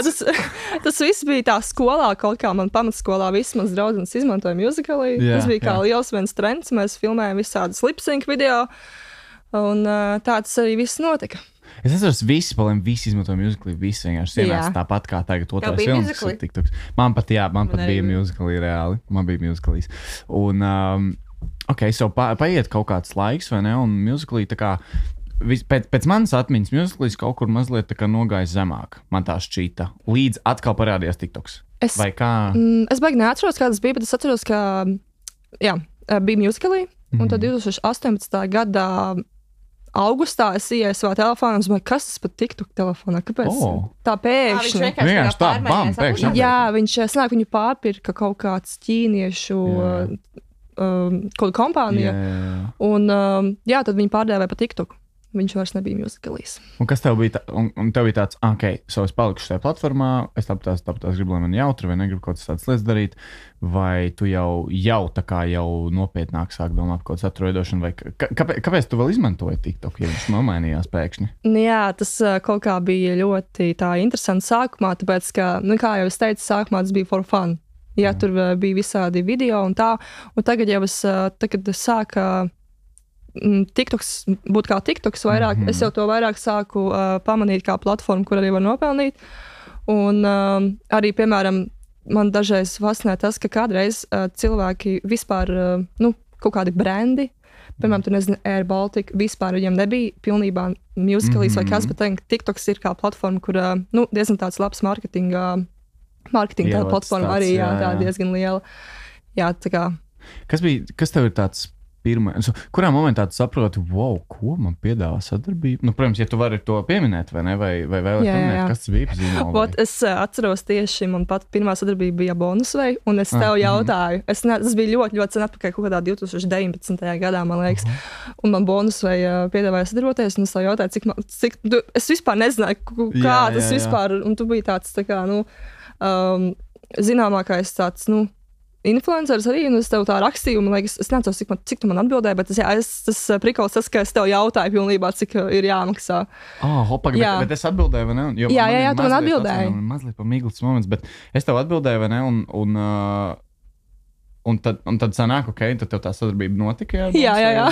tas viss bija tā skolā, kaut kā man pamatskolā visas manas draudzenes izmantoja musicalī. Jā, Tas bija kā jā. liels viens trends, mēs filmējām visādus lip-sync video, un tā tas arī viss notika. Es atceros, visi izmantoja musicalī, visi vienkārši ienāca Jā. tāpat kā tagad otrais bija filmas, musicalī? kas ir TikToks. Man pat arī bija musicalī reāli, man bija musicalīs. Un, so paiet kaut kāds laiks, vai ne, un musicalī tā kā, pēc manas atmiņas musicalīs kaut kur mazliet tā kā nogāja zemāk, man tā šķīta, līdz atkal parādījās TikToks. Vai kā? Es baigi neatceros, kā tas bija, bet es atceros, ka jā, bija musicalī, un tad 2018. Gadā augustā es ienāku savā telefonā un domāju, kas tas pat TikTok telefonā? Kāpēc? Tā pēkšņi. Vienkārši tā, bam, pēkšņi. Jā, viņš sanāk, viņu pārpirka kaut kāds ķīniešu kaut kāda kompānija. Un tad viņi pārdēvēja pa TikTok. Viņš vairs nebija musicalīs. Un kas tev bija, un tev bija tāds, so es palikšu šajā platformā, es tāpēc gribu, lai man jautri, vai negribu kaut kādas tādas lietas darīt, vai tu jau tā kā jau nopietnāk sāk domāt par kaut kādu saturu veidošanu, vai kāpēc tu vēl izmantoji TikTok, ja viņš nomainījās pēkšņi? Jā, tas kaut kā bija ļoti tā interesanti sākumā, tāpēc, ka, kā jau es teicu, sākumā tas bija for fun. Jā, tur bija visādi video un tā, un tagad jau tagad sāka TikToks būt kā TikToks vairāk, es jau to vairāk sāku pamanīt kā platformu, kur arī var nopelnīt. Un arī, piemēram, man dažreiz fascinē tas, ka kādreiz cilvēki vispār, kaut kādi brendi Piemēram, tu nezini, Air Baltica vispār viņam nebija pilnībā Musical.ly vai kas, bet TikToks ir kā platforma, kur diezgan tāds labs marketinga tāda platforma arī, tā diezgan liela. Jā, tā kā. Kas tev ir tāds pirmais? Kurā momentā tu saproti, wow, ko man piedāvā sadarbība? Nu, protams, ja tu vari to pieminēt, vai ne? Vai vēl pieminēt, kas tas bija zīmola? Es atceros tieši, man pat pirmā sadarbība bija Bonusvei, un es tev jautāju. Tas bija ļoti, ļoti sen atpakaļ, kaut kādā 2019. gadā, man liekas. Un man Bonusvei piedāvāja sadarboties, un es tev jautāju, es vispār nezināju, kā tas vispār, un tu biji tāds, tā kā, zināmākais tāds, influenceris arī, un es tev tā rakstīju, man liekas, es neatceros, cik tu man atbildēji, bet tas prikols tas, ka es tev jautāju pilnībā, cik ir jāmaksā. Bet es atbildēju, vai ne? Jā, tu man atbildēji. Mazliet pamīglis moments, bet es tev atbildēju, vai ne? Un tad sanāk, tad tev tā sadarbība notika? Jā.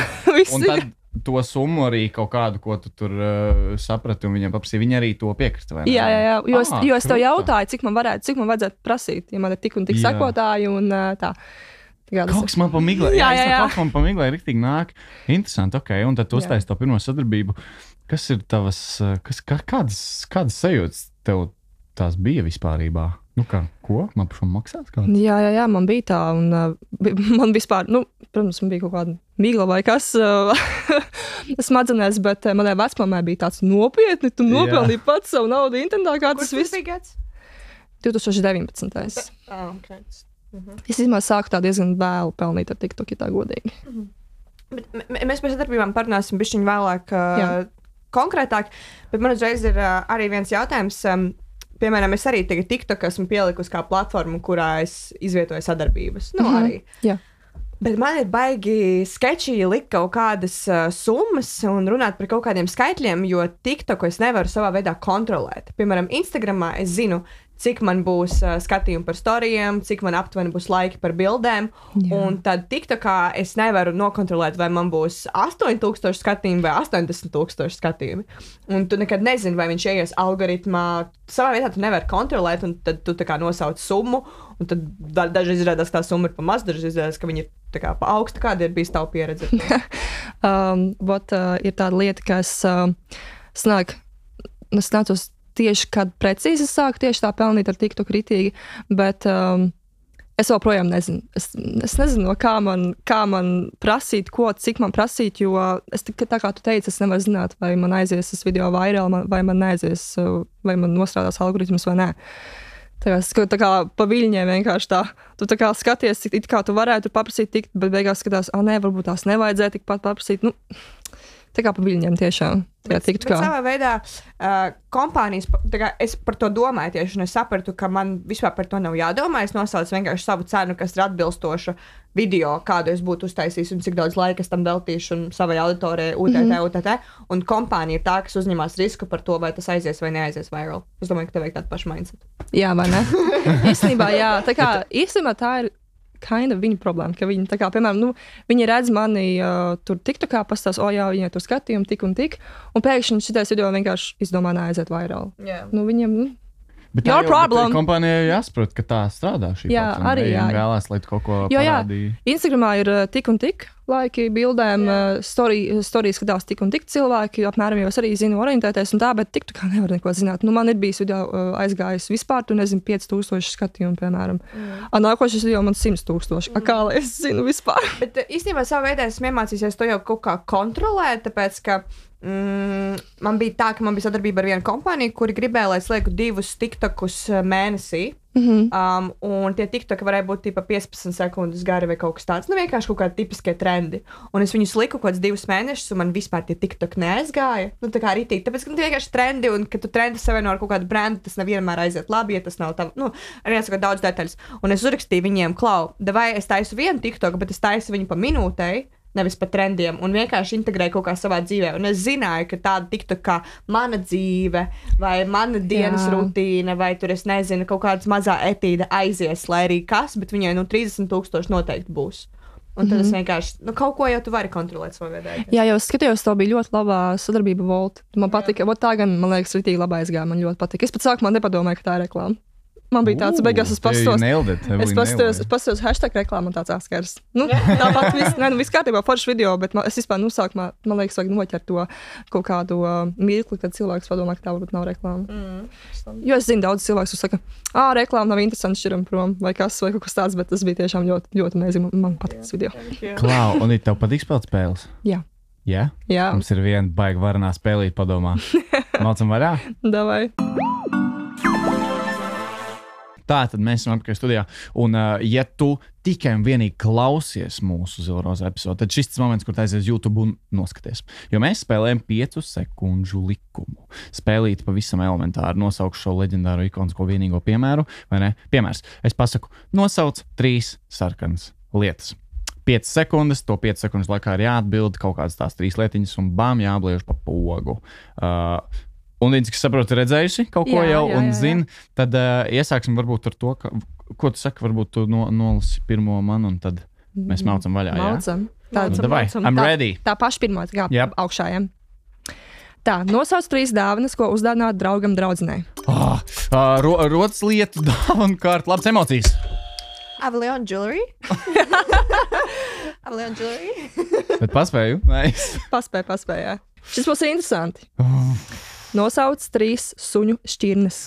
Un tad to summu arī kaut kādu, ko tu tur saprati, un viņam paprasīja, viņi arī to piekrista, vai ne? Jā, jo es tev jautāju, cik man vajadzētu prasīt, ja man ir tik un tik sakotāji, un tā. Kaut kas man pamiglē, kaut man pamiglē riktīgi nāk. Interesanti, un tad tu uztaisi to pirmo sadarbību. Kas ir tavas, kādas sajūtas tev tās bija vispārībā? Ko? Man par šo maksās kāds? Jā, man bija tā, un man vispār, protams, man bija kaut kāda migla vai kas smadzenēs, bet manai vecmamai bija tāds nopietni, tu nopelnīji pats savu naudu internetā, kā tas viss. Kurš bija gads? 2019. Okay. Es sāku tā diezgan vēlu pelnīt ar TikTok, ja tā godīgi. Bet mēs par sadarbībām parunāsim bišķiņ vēlāk konkrētāk, bet man uzreiz ir arī viens jautājums. Piemēram, es arī tagad TikTok esmu pielikusi kā platformu, kurā es izvietoju sadarbības. Arī. Jā. Bet man ir baigi sketčīgi likt kaut kādas summas un runāt par kaut kādiem skaitļiem, jo TikToku es nevaru savā veidā kontrolēt. Piemēram, Instagramā es zinu, cik man būs skatījumi par storijiem, cik man aptuveni būs laiki par bildēm. Jā. Un tad TikTokā es nevaru nokontrolēt, vai man būs 8,000 skatījumi vai 80,000 skatījumi. Un tu nekad nezini, vai viņš ieies algoritmā. Savā vietā tu nevari kontrolēt, un tad tu tā kā nosauc summu, un tad daži izrādās, ka tā summa ir pa maz, daži izrādās, ka viņi ir tā kā pa augstu. Kāda ir bijis tava pieredze? Ir tāda lieta, ka es nācos tieši, kad precīzi sāku tieši tā pelnīt ar TikTok ritīgi, bet es joprojām nezinu. Es nezinu, kā man prasīt, cik man prasīt, jo tā kā tu teici, es nevaru zināt, vai man aizies tas video vairāk, vai man neaizies, vai man nostrādās algoritms vai nē. Tā kā pa viļņiem vienkārši tā. Tu tā kā skaties, cik kā tu varētu paprasīt tikt, bet beigās skatās, varbūt tās nevajadzēja tikpat paprasīt. Tā kā pa viļņiem tiešām. Bet savā veidā kompānijas, es par to domāju tieši, un es sapratu, ka man vispār par to nav jādomā. Es nosaucu vienkārši savu cenu, kas ir atbilstoša video, kādu es būtu uztaisījis un cik daudz laika es tam veltīšu un savai auditorijai, UTT. Un kompānija ir tā, kas uzņemās risku par to, vai tas aizies vai neaizies viral. Es domāju, ka tev vajag tādu pašu mindset. Jā, vai ne? Īstenībā, jā. Īstenībā tā ir viņa problēma, ka viņi, tā kā, piemēram, viņi redz mani tur TikTokā, pastāst, viņai tur skatījumi tik un tik, un pēkšņi šitais video vienkārši izdomā neaiziet vairāk. Yeah. Viņiem, bet your problem. Kompānijai jāsaprot, ka tā strādā šī platforma. Arī jā. Vēlās, lai tu kaut ko parādīji. Instagramā ir tik un tik laiki bildēm, storijas skatās tik un tik cilvēki, apmēram jau es arī zinu orientēties un tā, bet TikTokā nevar neko zināt. Man ir bijis video aizgājis vispār, 5,000 skatījumu, piemēram. Nākošais video man 100,000. Kā lai es zinu vispār? Bet īstenībā savā veidā esmu iemācījusies to jau kaut kā kontrolēt, tāpēc, ka man bija tā, ka man bija sadarbība ar vienu kompāniju, kuri gribēja, lai es lieku 2 TikTokus mēnesī. Un tie TikToki varēja būt 15 sekundes gari vai kaut kas tāds. Vienkārši kaut kādi tipiskie trendi. Un es viņus liku kaut kādus 2 mēnešus, un man vispār tie TikToki neaizgāja. Tā kā arī tāpēc, ka vienkārši trendi, un kad tu trendi savieno ar kaut kādu brendu, tas nevienmēr aiziet labi, ja tas nav tā, arī jāsaka daudz detaļas. Un es uzrakstīju viņiem, vai es taisu vienu TikToku, bet es taisu viņu pa minūtei, nevis pa trendiem, un vienkārši integrēju kaut kā savā dzīvē. Un es zināju, ka tāda tiktu kā mana dzīve, vai mana dienas rutīna, vai tur, es nezinu, kaut kāds mazā etīda aizies, lai arī kas, bet viņai 30,000 noteikti būs. Un tad es vienkārši, kaut ko jau tu vari kontrolēt savā veidā. Jā, jau skatījos, tev bija ļoti labā sadarbība Volt. Man patika, tā gan, man liekas, ritīgi labā aizgāja, man ļoti patika. Es pat sākumā nepadomāju, ka tā ir reklāma. Man bija tāds, beigās es pastos hashtag reklāmu un tāds atskars. Nu, tāpat viss kārtībā foršs video, bet es vispār, sākumā, man liekas, vajag noķert to kaut kādu mirkli, kad cilvēks padomā, ka tā varbūt nav reklāma. Jo es zinu, daudz cilvēks saka, reklāma nav interesanti šķiram prom, vai kas, vai kaut kas tāds, bet tas bija tiešām ļoti, ļoti amazing. Man patīk tas video. Klau, un tev patīk spēlēt spēles? Jā. Jā? Jā. Mums ir viena baigi varanā spēlīt padomā. Mācam varā? Davai. Tā tad mēs esam atpakaļ studijā. Un, ja tu tikai un vienīgi klausies mūsu Zilroza epizodi, tad šis ir moments, kur aizies YouTube un noskaties. Jo mēs spēlējam 5 sekundžu likumu. Spēlīt pavisam elementāri. Nosaukšu šo leģendāro ikonisko vienīgo piemēru, vai ne? Piemērs. Es pasaku, nosauc 3 sarkanas lietas. 5 sekundes, to 5 sekundžu laikā ir jāatbild kaut kādas tās 3 lietiņas un bām jābliež pa pogu. Un līdz, kas saprotu, redzējusi kaut ko jau un zina, tad iesāksim varbūt ar to, ko tu saki, varbūt tu nolasi pirmo man un tad mēs maucam vaļā. Maucam. Davai, I'm ready. Tā paša pirmā, augšā, ja? Tā, nosauc 3 dāvanas, ko uzdāvināt draugam draudzenei. Rodas lietu, dāvanu kārtu, labas emocijas. Avalon Jewelry. Avalon Jewelry. Bet paspēju? Nice. Paspēju, jā. Šis būs interesanti. Nosauc 3 suņu šķirnes.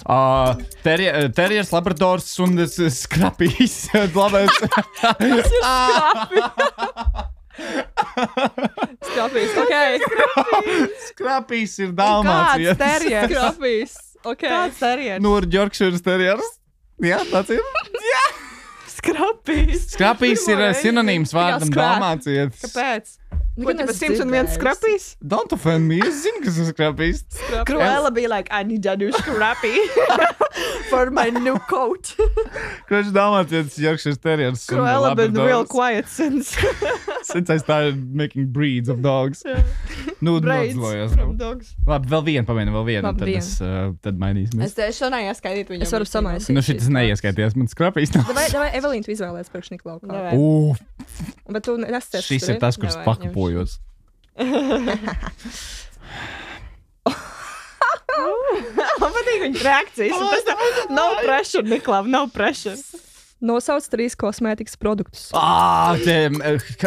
Terriers, labradors un skrapīs. Skrapīs, ok. Skrapīs ir dalmācijas. Kāds terriers? Skrapīs, ok. Kāds terriers? Nu, ir Yorkshire terriers. Jā, tāds ir. Skrapīs. Skrapīs ir sinonīms vārdam dalmācijas. Kāpēc? Ko tu 101 skrapīs? Don't offend me, es zinu, kas ir skrapīs. Cruella bija like, I need a new scrappy for my new coat. Kurš dalmācijas Yorkshire terriers? Cruella been real quiet since I started making breeds of dogs. Nu, braids from dogs. Labi, vēl vienu, tad mainīsimies. Es šo neieskaidītu viņam. Es varu samaisīt. Nu, šitas neieskaities, man skrapīs nav. Davai, Evelīna, tu izvēlēs priekš Niklaukā. Bet tu nesties. Šis ir tas, kurš pakapojos. Man patīk viņa reakcijas. No pressure, Niklav, no pressure. Nosauc 3 kosmētikas produktus.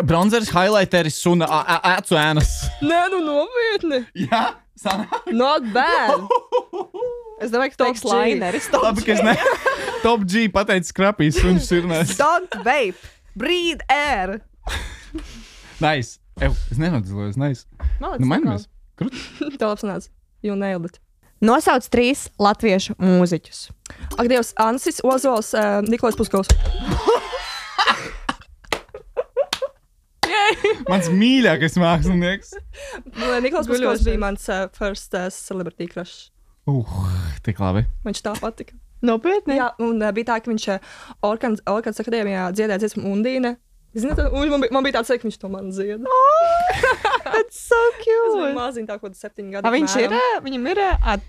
Bronzeris, highlighteris un acu ēnas. Nē, nu nopietni. Jā, sanāk. Not bad. Es domāju, ka teiks lineris. Labi, ka es ne. Top G pateicis skrapīs un sirnēs. Don't vape. Breathe air. Nice. Es nenodzīvoju, nice. Nu, mainamies. Tev labs nāc. You nailed it. Nosauc 3 latviešu mūziķus. Ak, Dievs, Ansis, Ozols, Nikolais Puskovs. Mans mīļākais mākslinieks. Nikolais Puskovs bija mans first celebrity crush. Tik labi. Viņš tā patika. Nopietni? Jā, un bija tā, ka viņš Orkanas akadēmijā dziedāja dziesmu Undīne. Ziniet, man bija tāds, ka viņš to man dzieda. That's so cute. Es maziņu tā, kaut 7 gadu. Viņš ir, viņam ir,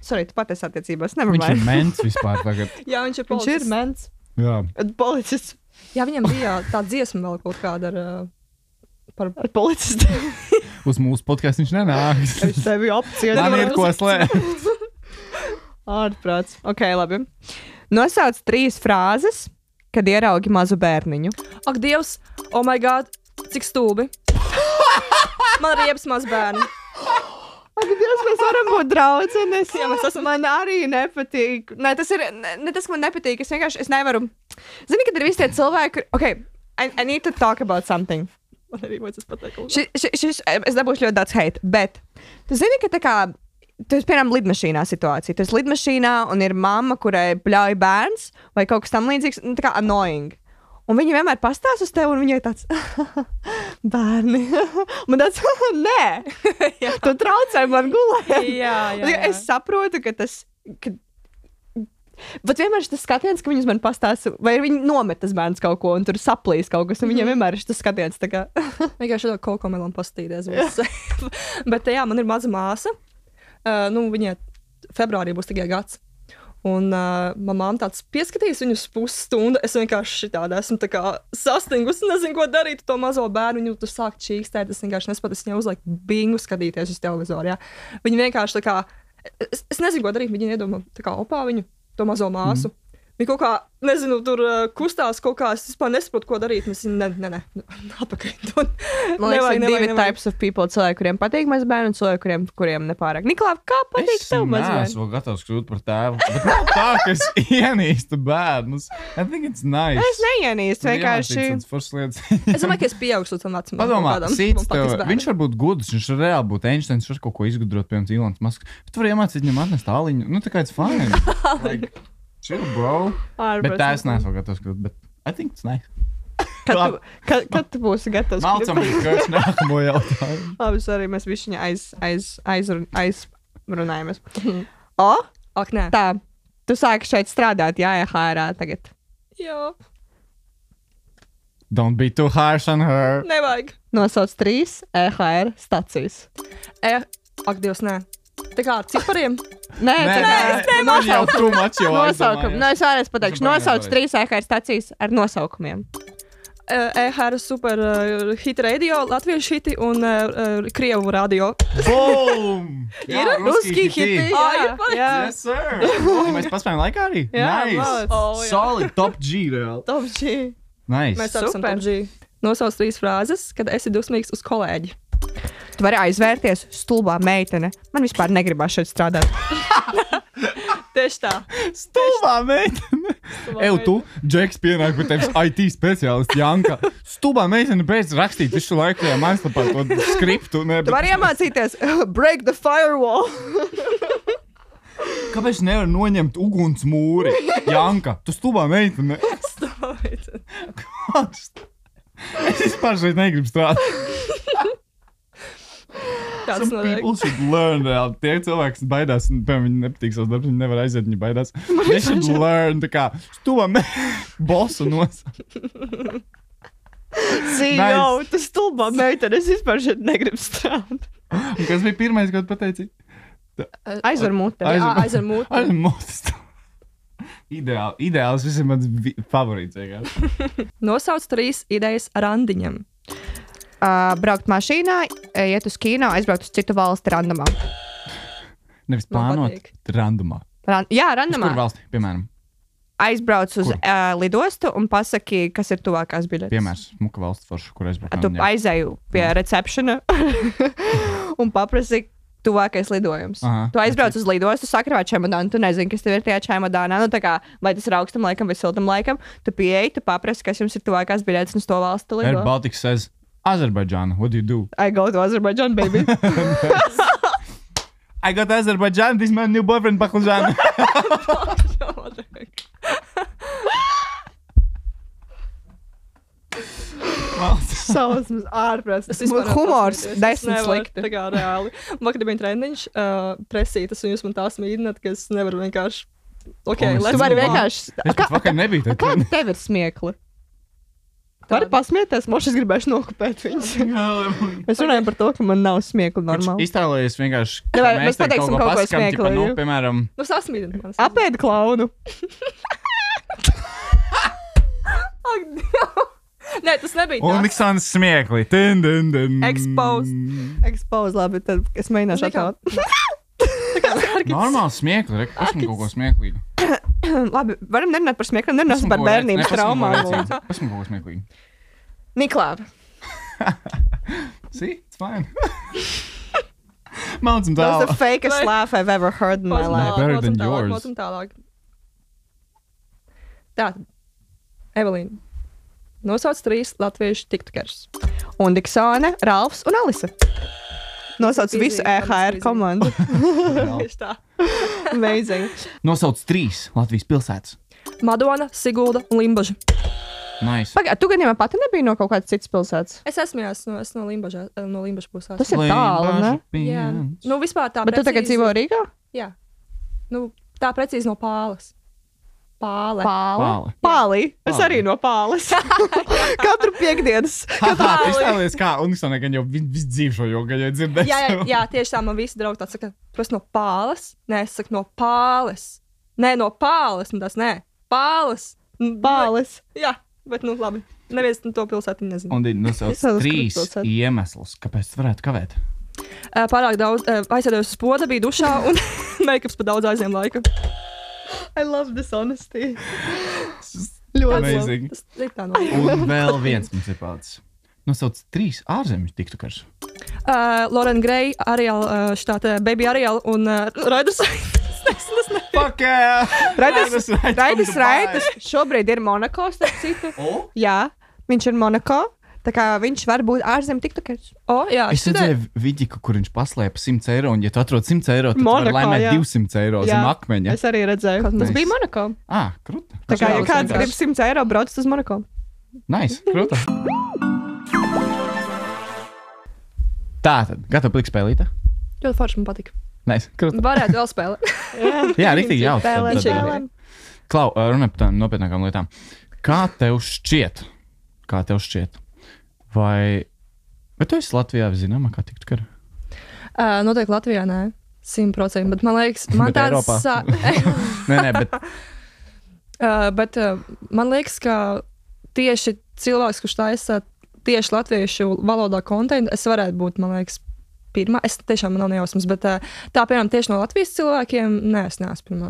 sorry, tu patiesi attiecībās, nevar Viņš ir mens vispār tagad. Jā, viņš ir policists. Viņš ir mens. Jā. Policists. Jā, viņam bija tā dziesma vēl kaut kāda ar policistu. Uz mūsu podcastu viņš nenāks. Es tevi apcienu. Man ir ko slēpt. Ārprāts. Ok, labi. Nosauc 3 frāzes, kad ieraugi mazu bērniņu. Ak, Dievs, oh my god, cik stulbi. Man ir riebs maz bērni. Ak, Dievs, mēs varam būt draudzenes. Jā, mēs esam. Man arī nepatīk. Nē, tas ir, ne tas, ka man nepatīk. Es nevaru. Zini, kad ir visi tie cilvēki, ok, I need to talk about something. Man arī vajadzēs pateikt. Es dabūšu ļoti daudz hate, bet tu zini, ka tā kā tu esi, piemēram, lidmašīnā situācija. Tu esi lidmašīnā un ir mamma, kurai bļauj bērns vai kaut kas tam līdzīgs, tā kā annoying. Un viņi vienmēr pastāsta uz tevi, un viņai tāds bērni. Man tāds, nē, tu traucē man gulēt. Jā. Es saprotu, ka tas... Bet vienmēr ir tas skatiens, ka viņas man pastāsta, vai viņi nomet tas bērns kaut ko, un tur saplīs kaut kas, un viņiem vienmēr ir tas skatiens tā kā... Vienkārši kaut ko melām pastīties. Bet jā, man ir maza māsa. Viņai februārī būs tikai gads. Un mamām tāds pieskatījis viņu uz pusstundu. Es vienkārši šitādi esmu tā kā sastingusi, nezinu, ko darīt to mazo bērnu. Viņu tur sāk čīkstēt, es vienkārši nespētu, es viņai uzlaiku bingu skatīties uz televizoru, jā. Viņa vienkārši tā kā, es nezinu, ko darīt, viņa iedomā tā kā opā viņu, to mazo māsu. Viņa kaut kā, nezinu, tur kustās kaut kā, es vispār nesaprotu, ko darīt. Mēs atpakaļ. Man liekas, ir divi types of people. Cilvēki, kuriem patīk mazbērni, un cilvēki, kuriem nepārāk. Niklā, kā patīk tev mazbērni? Es vēl gatavs kļūt par tēvu. Bet nav tā, ka es ienīstu bērnus. I think it's nice. Es neienīstu, vienkārši. Es domāju, ka es pieaugšu tam vecumam. Padomā, Sīts tev, viņš var būt gudrs, viņš var reāli būt Einsteins, viņš var kaut ko izgudrot, piemēram, Ilons Masks. Bet tu vari iemācīt viņam atnest āliņu. Nu, tā kā it's fine. Like, chill, bro. Bet tā es neesmu gatavs kļūt, bet I think it's nice. Kad tu būsi gatavs? Malcam, kāds nākamo jautājumu. Labi, sorry, mēs višķiņā aizrunājamies. Ak, nē. Tā, tu sāki šeit strādāt, jā, EHR tagad. Jā. Don't be too harsh on her. Nevajag. Nosauc 3 EHR stacijas. Ak, Dievs, nē. Tā kā ar cipariem? Nē, nosaukumu. Nosaukumu. No, es vēlreiz pateikšu. Nosauc 3 EHR stacijas ar nosaukumiem. EHR super hit radio, latviešu hiti un krievu radio. Boom! Ir ruski hiti. Jā. Yes, sir. Mēs paspējam laikā arī? Jā, Nice. Solid, top G, reāli. Top G. Nice. Mēs esam top G. Nosauc 3 frāzes, kad esi dusmīgs uz kolēģi. Tu vari aizvērties, stulbā meitene. Man vispār negribās šeit strādāt. Tieši tā. Stulbā meitene. Eju, tu, Džeks, pienāk pie tevis IT speciālists Janka. Stulbā meitene beidz rakstīt visu laiku tajā mājaslapā to skriptu. Tu vari iemācīties break the firewall. Kāpēc nevar noņemt uguns mūri? Janka, tu stulbā meitene. Stulbā meitene. Es vispār šeit negribu strādāt. Kāds notiek? People should learn, reāli. Tie cilvēki, kas baidās, un piemēram, viņi nepatīk savus darbus, viņi nevar aiziet, viņi baidās. They should learn, tā kā, stulbā bosu nosaukt. CEO, tu stulbā meitene, es vispār šeit negribu strādāt. Un kas bija pirmais, ko tu pateici? Aizver mute. Aizver mute. Aizver mute. Ideāls, šis ir mans favorīts. Nosauc 3 idejas randiņam. Braukt mašīnā, iet uz kino, aizbraukt uz citu valsti randomā. Nevis plānot, randomā. Jā, randomā. Uz kur valsti, piemēram? Aizbrauc uz lidostu un pasaki, kas ir tuvākās biļetes. Piemērs, muka valsts forša, kur aizbraukt. Tu aizēju pie receptiona un paprasi tuvākais lidojums. Tu aizbrauc uz lidostu, sakrāvā čemodānu, tu nezini, kas tev ir tajā čemodānā. Nu, tā kā, vai tas ir augstam laikam vai siltam laikam, tu pieeji, tu paprasi, kas jums ir tuvākās biļetes un uz to valstu tu lido. Air Baltic says, Azerbaijan, what do you do? I go to Azerbaijan, baby. I got Azerbaijan, this is my new boyfriend, Baklajan. Sausmas ārprāts. Humors, 10 slikti. Tā kā reāli. Vakar bija treniņš, presītas, un jūs man tā smīdināt, ka es nevaru vienkārši... Okay, tu vari vienkārši... Es pat vakar nebiju tā treniņš. Kā tev ir smiekli? Tu vari pasmieties, moši es gribēšu nokupēt viņus. Mēs runājam par to, ka man nav smiekli normāli. Iztēlojies vienkārši... Mēs pateiksim kaut ko smiekli. Nu, piemēram... Nu, sasmīdini man. Apēd klaunu. Nē, tas nebija tā. Un Niksānas smiekli. Expose, labi, tad es mēģināšu atkārt. Normāli smiekli, esmu kaut ko smieklīgu. Labi, varam nerunāt par smiekliem, nerunāsim par bērnības traumām. Esmu kaut ko smieklīgu. Niklā. See, it's fine. Mācam tālāk. That's the fakest laugh I've ever heard in my life. Better than yours. Mācam tālāk. Tātad, Evelīna. Nosauc 3 latviešu tiktokers. Un Diksone, Ralfs un Alisa. Nosauc visu EHR komandu. Tieši tā. Amazing. Nosauc 3 Latvijas pilsētas. Madona, Sigulda un Limbaža. Nice. Pagā, tu gadījumā pati nebija no kaut kādas citas pilsētas? Es esmu no Limbaža pusē. Tas ir tālu, ne? Jā. Nu, vispār tā Bet precīzi... tu tagad dzīvo Rīgā? Jā. Nu, tā precīzi no Pāles. Pāle. Pāli. Es arī no Pāles. Katru piekdienas. Iztēlies kā, un es gan jau visu dzīvi šo jogu, ja dzirdēju. Jā, tieši tā man visi draugi tāds saka, protams, no Pāles. Nē, es saku no Pāles. Nē, no Pāles. Un tas, nē, Pāles. Pāles. Jā, bet nu labi. Neviens to pilsētiņu nezinu. Un nosauc 3 iemeslus, kāpēc tu varētu kavēt. Pārāk daudz aizsēdējos uz poda, bija dušā un make-ups pa daudz aizņem laika. I love this honesty. Ļoti Amazing. labi. Tas ir tā no. Un vēl viens mums ir palicis. Nosauc 3 ārzemju tiktokers. Lauren Gray, Ariel, štāte Baby Ariel un Raiders. Fuck yeah! Raidis šobrīd ir Monako, starp citu. Jā, viņš ir Monako. Tā kā viņš var būt ārzemju tiktokers. Jā, Es redzēju vidiku, kur viņš paslēpa 100 eiro, un ja tu atrod 100 eiro, tad Monako, tu vari laimēt jā. 200 eiro zem akmeņa. Es arī redzēju. Tas Nice. bija Monako. Kruta. Tā kā, ja Tas kāds vienkārši. grib 100 eiro, brauc uz Monako. Nice, kruta. Tātad, gatavi plikt spēlītā? Ļoti forši man patika. Nice, kruta. Varētu vēl spēlēt. Jā, riktīgi jautri. Spēlēm. Klau, runā par tām nopietnākām lietām. Kā tev šķiet? Vai tu esi Latvijā zināmākā tiktokera? Noteikti Latvijā, nē. 100%, bet man liekas, man Bet Eiropā? Nē, bet bet man liekas, ka tieši cilvēks, kurš taisa tieši latviešu valodā kontentu, es varētu būt, man liekas, pirmā. Es tiešām man nav nejausmas, bet tā, piemēram, tieši no Latvijas cilvēkiem, nē, es neesmu pirmā.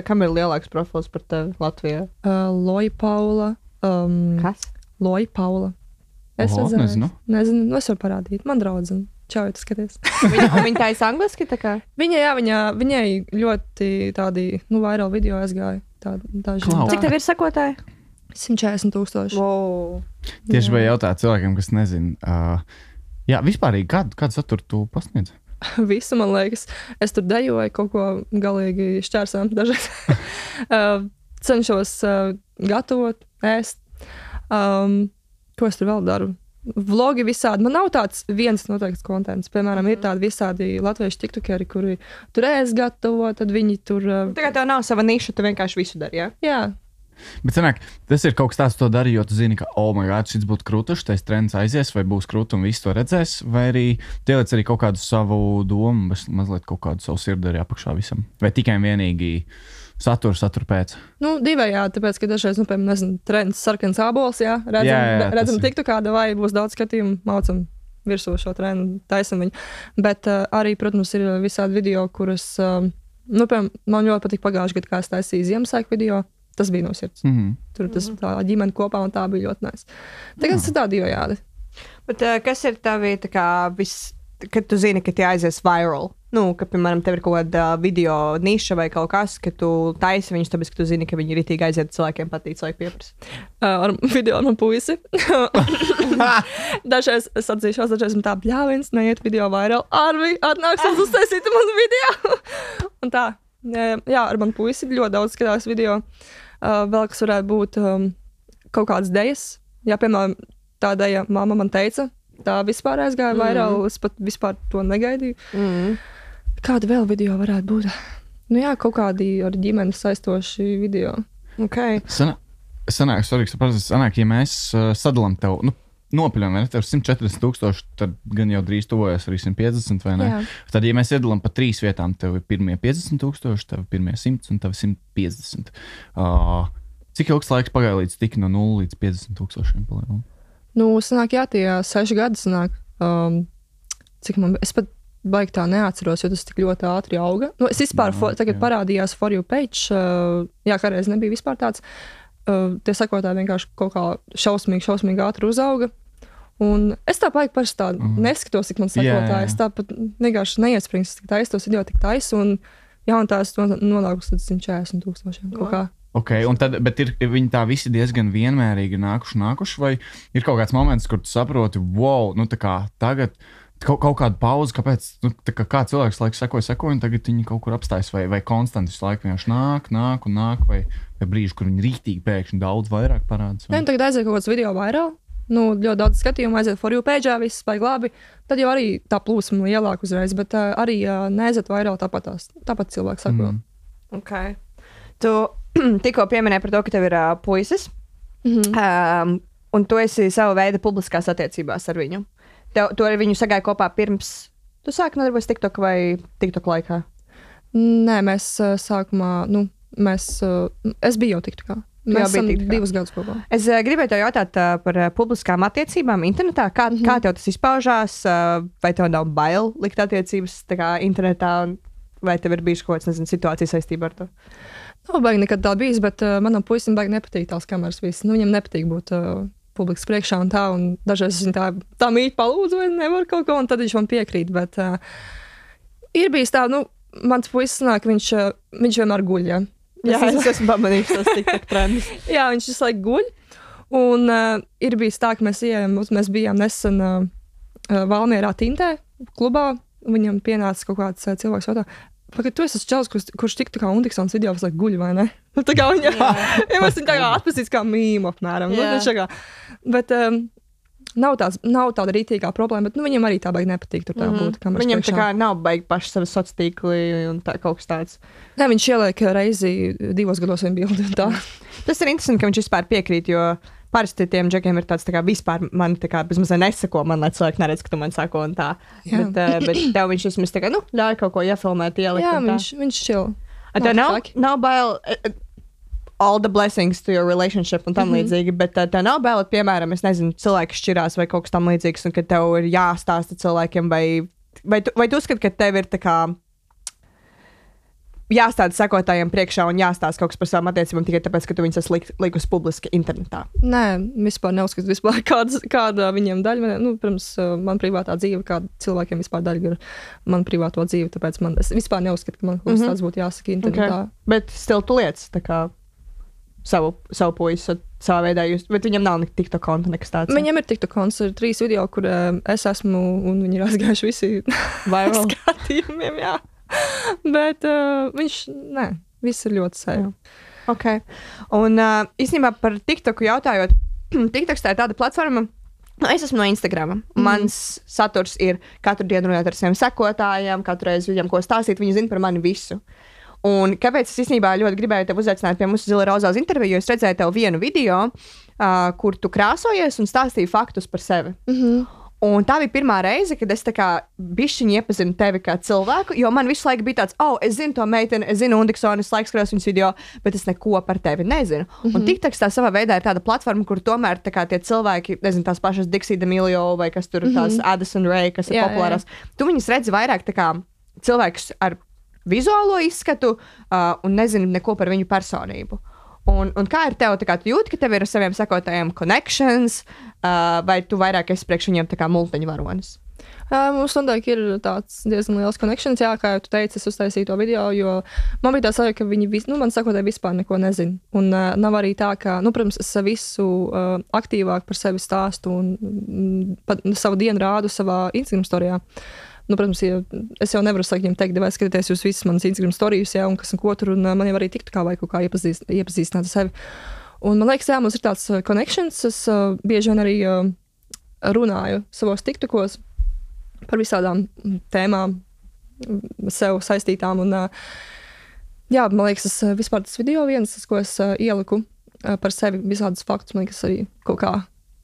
Kam ir lielāks profils par tevi Latvijā? Loja Paula. Kas? Loja Paula. Es Oho, redzēju. nezinu. Nu, es varu parādīt. Man draudzene. Čau, tu skaties. Viņa taisa angliski, tā kā? Viņai ļoti tādi, vairāk video aizgāja. Daži. Klau. Cik tev ir sakotāji? 140,000. Wow. tieši vai jautāt cilvēkiem, kas nezina. Jā, vispārīgi, kādu saturu tu pasniedz? Visu, man liekas. Es tur dejoju, kaut ko galīgi šķērsām dažreiz. Cenšos gatavot, ēst. Ko es tur vēl daru? Vlogi visādi. Man nav tāds viens noteikts kontents. Piemēram, ir tādi visādi latviešu tiktokeri, kuri tur ēst gatavo, tad viņi tur... Tā kā tev nav sava niša, tu vienkārši visu dari, jā? Jā. Bet sanāk, tas ir kaut kas tāds, to dari, jo tu zini, ka, oh, my God, šis būtu krūtuši, tas trends aizies, vai būs krūti un viss to redzēs, vai arī tieliec arī kaut kādu savu domu, mazliet kaut kādu savu sirdi arī apakšā visam. Vai tikai vienīgi satura pēc. Divējādi, tāpēc, ka dažreiz, piemēram, nezinu, trends sarkans ābols, jā, redzam tiktu kāda vai būs daudz skatījumu, maucam virsū šo trendu, taisam viņu. Bet arī, protams, ir visādi video, kuras, piemēram, man ļoti patīk pagājuši gadu, kā es taisīju Ziemassvētku video. Tas bija no sirds. Tur tas tā ģimene kopā, un tā bija ļoti nice. Tagad tas ir tā divējādi. Bet kas ir tavi, tā kā, kad tu zini, ka tie aizies viral? Ka, piemēram, tev ir kaut kāda video niša vai kaut kas, ka tu taisi viņus, tāpēc, ka tu zini, ka viņi ritīgi aiziet cilvēkiem patīk, cilvēki pieprasa. Ar video no puisi. Dažreiz es atzīšos, dažreiz man tā bļāviens, neiet video viral. Arvi, atnāksies uztaisīt manu video. Un tā, jā, ar manu puisi ļoti daudz skatās video. Vēl kas varētu būt kaut kādas dejas. Jā, piemēram, tā deja mamma man teica, tā vispār aizgāja viral, es pat vispār to negaidīju. Kāda vēl video varētu būt? Jā, kaut kādi ar ģimeni saistoši video. Okay. Sanāk, ja mēs sadalām tev, nopiļam, vai ne, tev 140,000, tad gan jau drīz tuvojas arī 150, vai ne? Jā. Tad, ja mēs iedalām pa 3 vietām, tev ir pirmie 50,000, tev ir pirmie 100 un tev ir 150. Cik ilgs laiks pagāja līdz tik no 0 līdz 50,000 palielam? Sanāk, jā, tie 6 gadi sanāk. Cik man, es pat baigi tā neatceros, jo tas tik ļoti ātri auga. Es vispār, tagad parādījās For You page, jā, kādreiz nebija vispār tāds. Tie sakotāji vienkārši kaut kā šausmīgi ātri uzauga. Un es tā baigi parasti tā neskatos, cik man sakotāji. Es tāpat vienkārši neiesprings, cik taisu tos video tik taisu. Un jā, un tās nonākus līdz 140,000 kaut kā. Okay, bet viņi tā visi diezgan vienmērīgi nākuši, vai ir kaut kāds moments, kur tu saproti, wow, tā kā tagad kaut kāda pauze, kāpēc, kā cilvēks laiku sekoja, un tagad viņi kaut kur apstājas, vai konstanti visu laiku vienkārši nāk, vai brīži, kur viņi rītīgi pēkšņi daudz vairāk parādās. Nē, tagad aiziet kaut kāds video vairāk, ļoti daudz skatījumu, aiziet For You page, viss spēj labi, tad jau arī tā plūsma lielāka uzreiz, bet arī neaiziet vairāk tāpat cilvēks sako. Okay. Tu tikko pieminēji par to, ka tev ir puisis, un tu esi sava veida publiskās attiecībās ar viņu. Tu ar viņu sagāji kopā pirms tu sāki nodarboties TikTok vai TikTok laikā? Nē, mēs sākumā, es biju jau TikTokā. Mēs esam 2 gadus kopā. Es gribēju tev jautāt par publiskām attiecībām internetā. Kā tev tas izpaužās? Vai tev nav bail likt attiecības tā kā internetā? vai tev ir bijuši kaut kāds, nezinu, situācija saistībā ar to? Nav baigi nekad tā bijis, bet manam puisim baigi nepatīk tās kameras viss. Nu, viņam nepatīk būt publikas priekšā un tā, un dažreiz es viņu tā mīt palūdzu, vai nevar kaut ko, un tad viņš man piekrīt, bet ir bijis tā, nu, mans puisis sanāk, viņš vienmēr guļ, ja. Jā, es esmu pamanījis tos TikTok trendus. Jā, viņš visu laiku guļ, un ir bijis tā, ka mēs bijām nesen Valmierā Tintē klubā, un viņam pienāca kaut kāds cilvēks jautā, pagaid, tu esi čalis, kurš TikTokā Undiksons video visu laiku guļ, vai ne? Nu, tā kā viņa, ja mēs viņu tā kā atpazīst kā mīmu apmēram. Nu, bet nav tāda rītīgā problēma, bet nu, viņam arī tā baigi nepatīk tur tā būt. Viņam tā kā nav baigi paši savi sociātīkli un tā kaut kas tāds. Nē, viņš ieliek reizi 2 gados viņa bildi un tā. Tas ir interesanti, ka viņš vispār piekrīt, jo parasti tiem džekiem ir tāds tā kā vispār man tā kā bezmazliet nesako, man lai cilvēki neredz, ka tu man sako un tā. Bet tev viņš vismaz tā kā, nu, ļauj kaut ko iefilmēt, ielikt. Jā, viņš chill. Tev nav bail all the blessings to your relationship un tam līdzīgi, bet tev nav bail, piemēram, es nezinu, cilvēki šķirās vai kaut kas tam līdzīgs, un ka tev ir jāstāsta cilvēkiem, vai tu uzskati, ka tev ir tā kā jāstāda sekotājiem priekšā un jāstāsta kaut kas par savām attiecībām tikai tāpēc, ka tu viņus esi likus publiski internetā? Nē, vispār neuzskatu vispār kāda viņiem daļa. Nu, pirms man privātā dzīve, kāda cilvēkiem vispār daļa ir man privāto dzīve, tāpēc es vispār neuzskatu, ka man kaut kas tāds būtu jāsaka internetā. Okay. Bet still tu lietas, tā kā savu puisi savā veidā, bet viņam nav TikTok konta nekas tāds. Viņam ir TikTok konts, ir 3 video, kur es esmu, un viņi ir aizgājuši visi skatījumiem, jā. Bet viss ir ļoti sevi. Okay. Un īstenībā par TikToku jautājot, TikToks tā ir tāda platforma, es esmu no Instagrama. Mans saturs ir katru dienu runāt ar saviem sekotājiem, katru reizi viņam ko stāstīt, viņi zina par mani visu. Un kāpēc es īstenībā ļoti gribēju tevi uzaicināt pie mums Zila Rozā uz interviju, jo es redzēju tev vienu video, kur tu krāsojies un stāstīji faktus par sevi. Un tā bija pirmā reize, kad es tā kā bišķiņi iepazinu tevi kā cilvēku, jo man visu laiku bija tāds, es zinu to meiteni, es zinu Undiksonu, es laiku skatos viņas video, bet es neko par tevi nezinu. Un TikToks tā savā veidā ir tāda platforma, kur tomēr tā kā tie cilvēki, nezinu, tās pašas Dixie D'Amelio vai kas tur tās Addison Rae, kas ir populārās, tu viņas redzi vairāk tā kā cilvēkus ar vizuālo izskatu un nezinu neko par viņu personību. Un kā ir tev, kā tu jūti, ka tev ir ar saviem sekotājiem connections, vai tu vairāk esi priekš viņiem tā kā multiņu varonis? Mums noteikti ir tāds diezgan liels connections, jā, kā jau tu teici, es uztaisīju to video, jo man bija tā sajūta, ka viņi man sekotāji vispār neko nezina. Un nav arī tā, ka, protams, es visu aktīvāk par sevi stāstu un savu dienu rādu savā Instagram storijā. Protams, es jau nevaru sākt viņiem teikt, vai skatieties jūs visas manas Instagram storijas, jā, un kas un ko tur, un man jau arī TikTokā vai kaut kā iepazīstināt ar sevi. Un man liekas, jā, mums ir tāds connections, es bieži vien arī runāju savos TikTokos par visādām tēmām sev saistītām, un jā, man liekas, vispār tas video viens, ko es ieliku par sevi visādus faktus, man liekas, arī kaut kā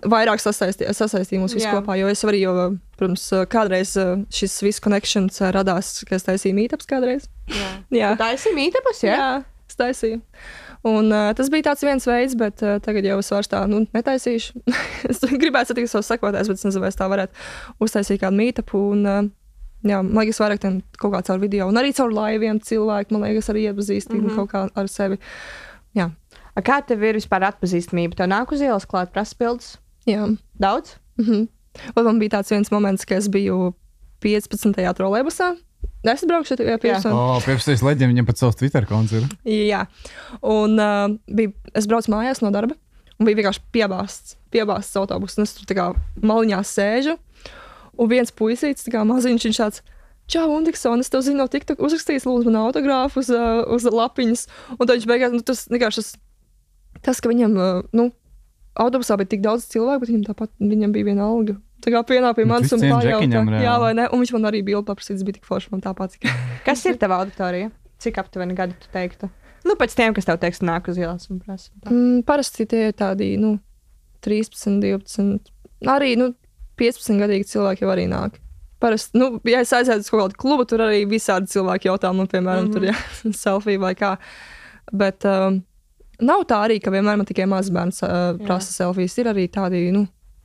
vairāk sasaistīja mūs visu kopā, jo es arī jau, protams, kādreiz šis viss connections radās, ka es taisīju meetups kādreiz. Jā. Tu taisīji meetups, jā? Jā, es taisīju. Un tas bija tāds viens veids, bet tagad jau es vairs tā, netaisīšu. Es gribētu satikt savus sekotājus, bet es nezinu, vai es tā varētu uztaisīt kādu meetupu. Un, jā, man liekas, vairāk kaut kā caur video. Un arī caur laiviem cilvēki, man liekas, arī iepazīstīgi kaut kā ar sevi. Jā. Kā tev ir vispār atpazīstamība? Tev nāk uz ielas klāt prasapildus? Jā. Daudz? Un man bija tāds viens moments, ka es biju 15. trolejbusā. Es braukšu pie 15. 15. leģiem viņam pat savs Twitter konts ir. Jā. Un es braucu mājās no darba un bija vienkārši piebāsts autobus. Un es tur tā kā maliņā sēžu. Un viens puisīts, tā kā maziņš, viņš tāds, čau, Undiksons, es tev zinu no TikTok, uzrakstījis lūdzu man autogrāfu uz lapiņas. Un tad viņš beigās, tas vienkārši tas, ka viņam, autobusā bija tik daudz cilvēku, bet viņam bija viena alga. Tā kā pienāk pie manis un pajautā, jā vai ne, un viņš man arī bildi paprasīts, bija tik forši man tāpat. Kas ir tava auditorija? Cik aptuveni gadi tu teiktu? Pēc tiem, kas tev teiks, nāk uz ielas un prasa. Parasti tie ir tādi, 13, 12, arī, 15 gadīgi cilvēki jau arī nāk. Parasti, ja es aizēdu uz kaut kādu klubu, tur arī visādi cilvēki jautā man, piemēram, tur, jā, selfie vai kā. Bet nav tā arī, ka vienmēr man tikai mazbērns prasa selfijas. Ir arī tādi,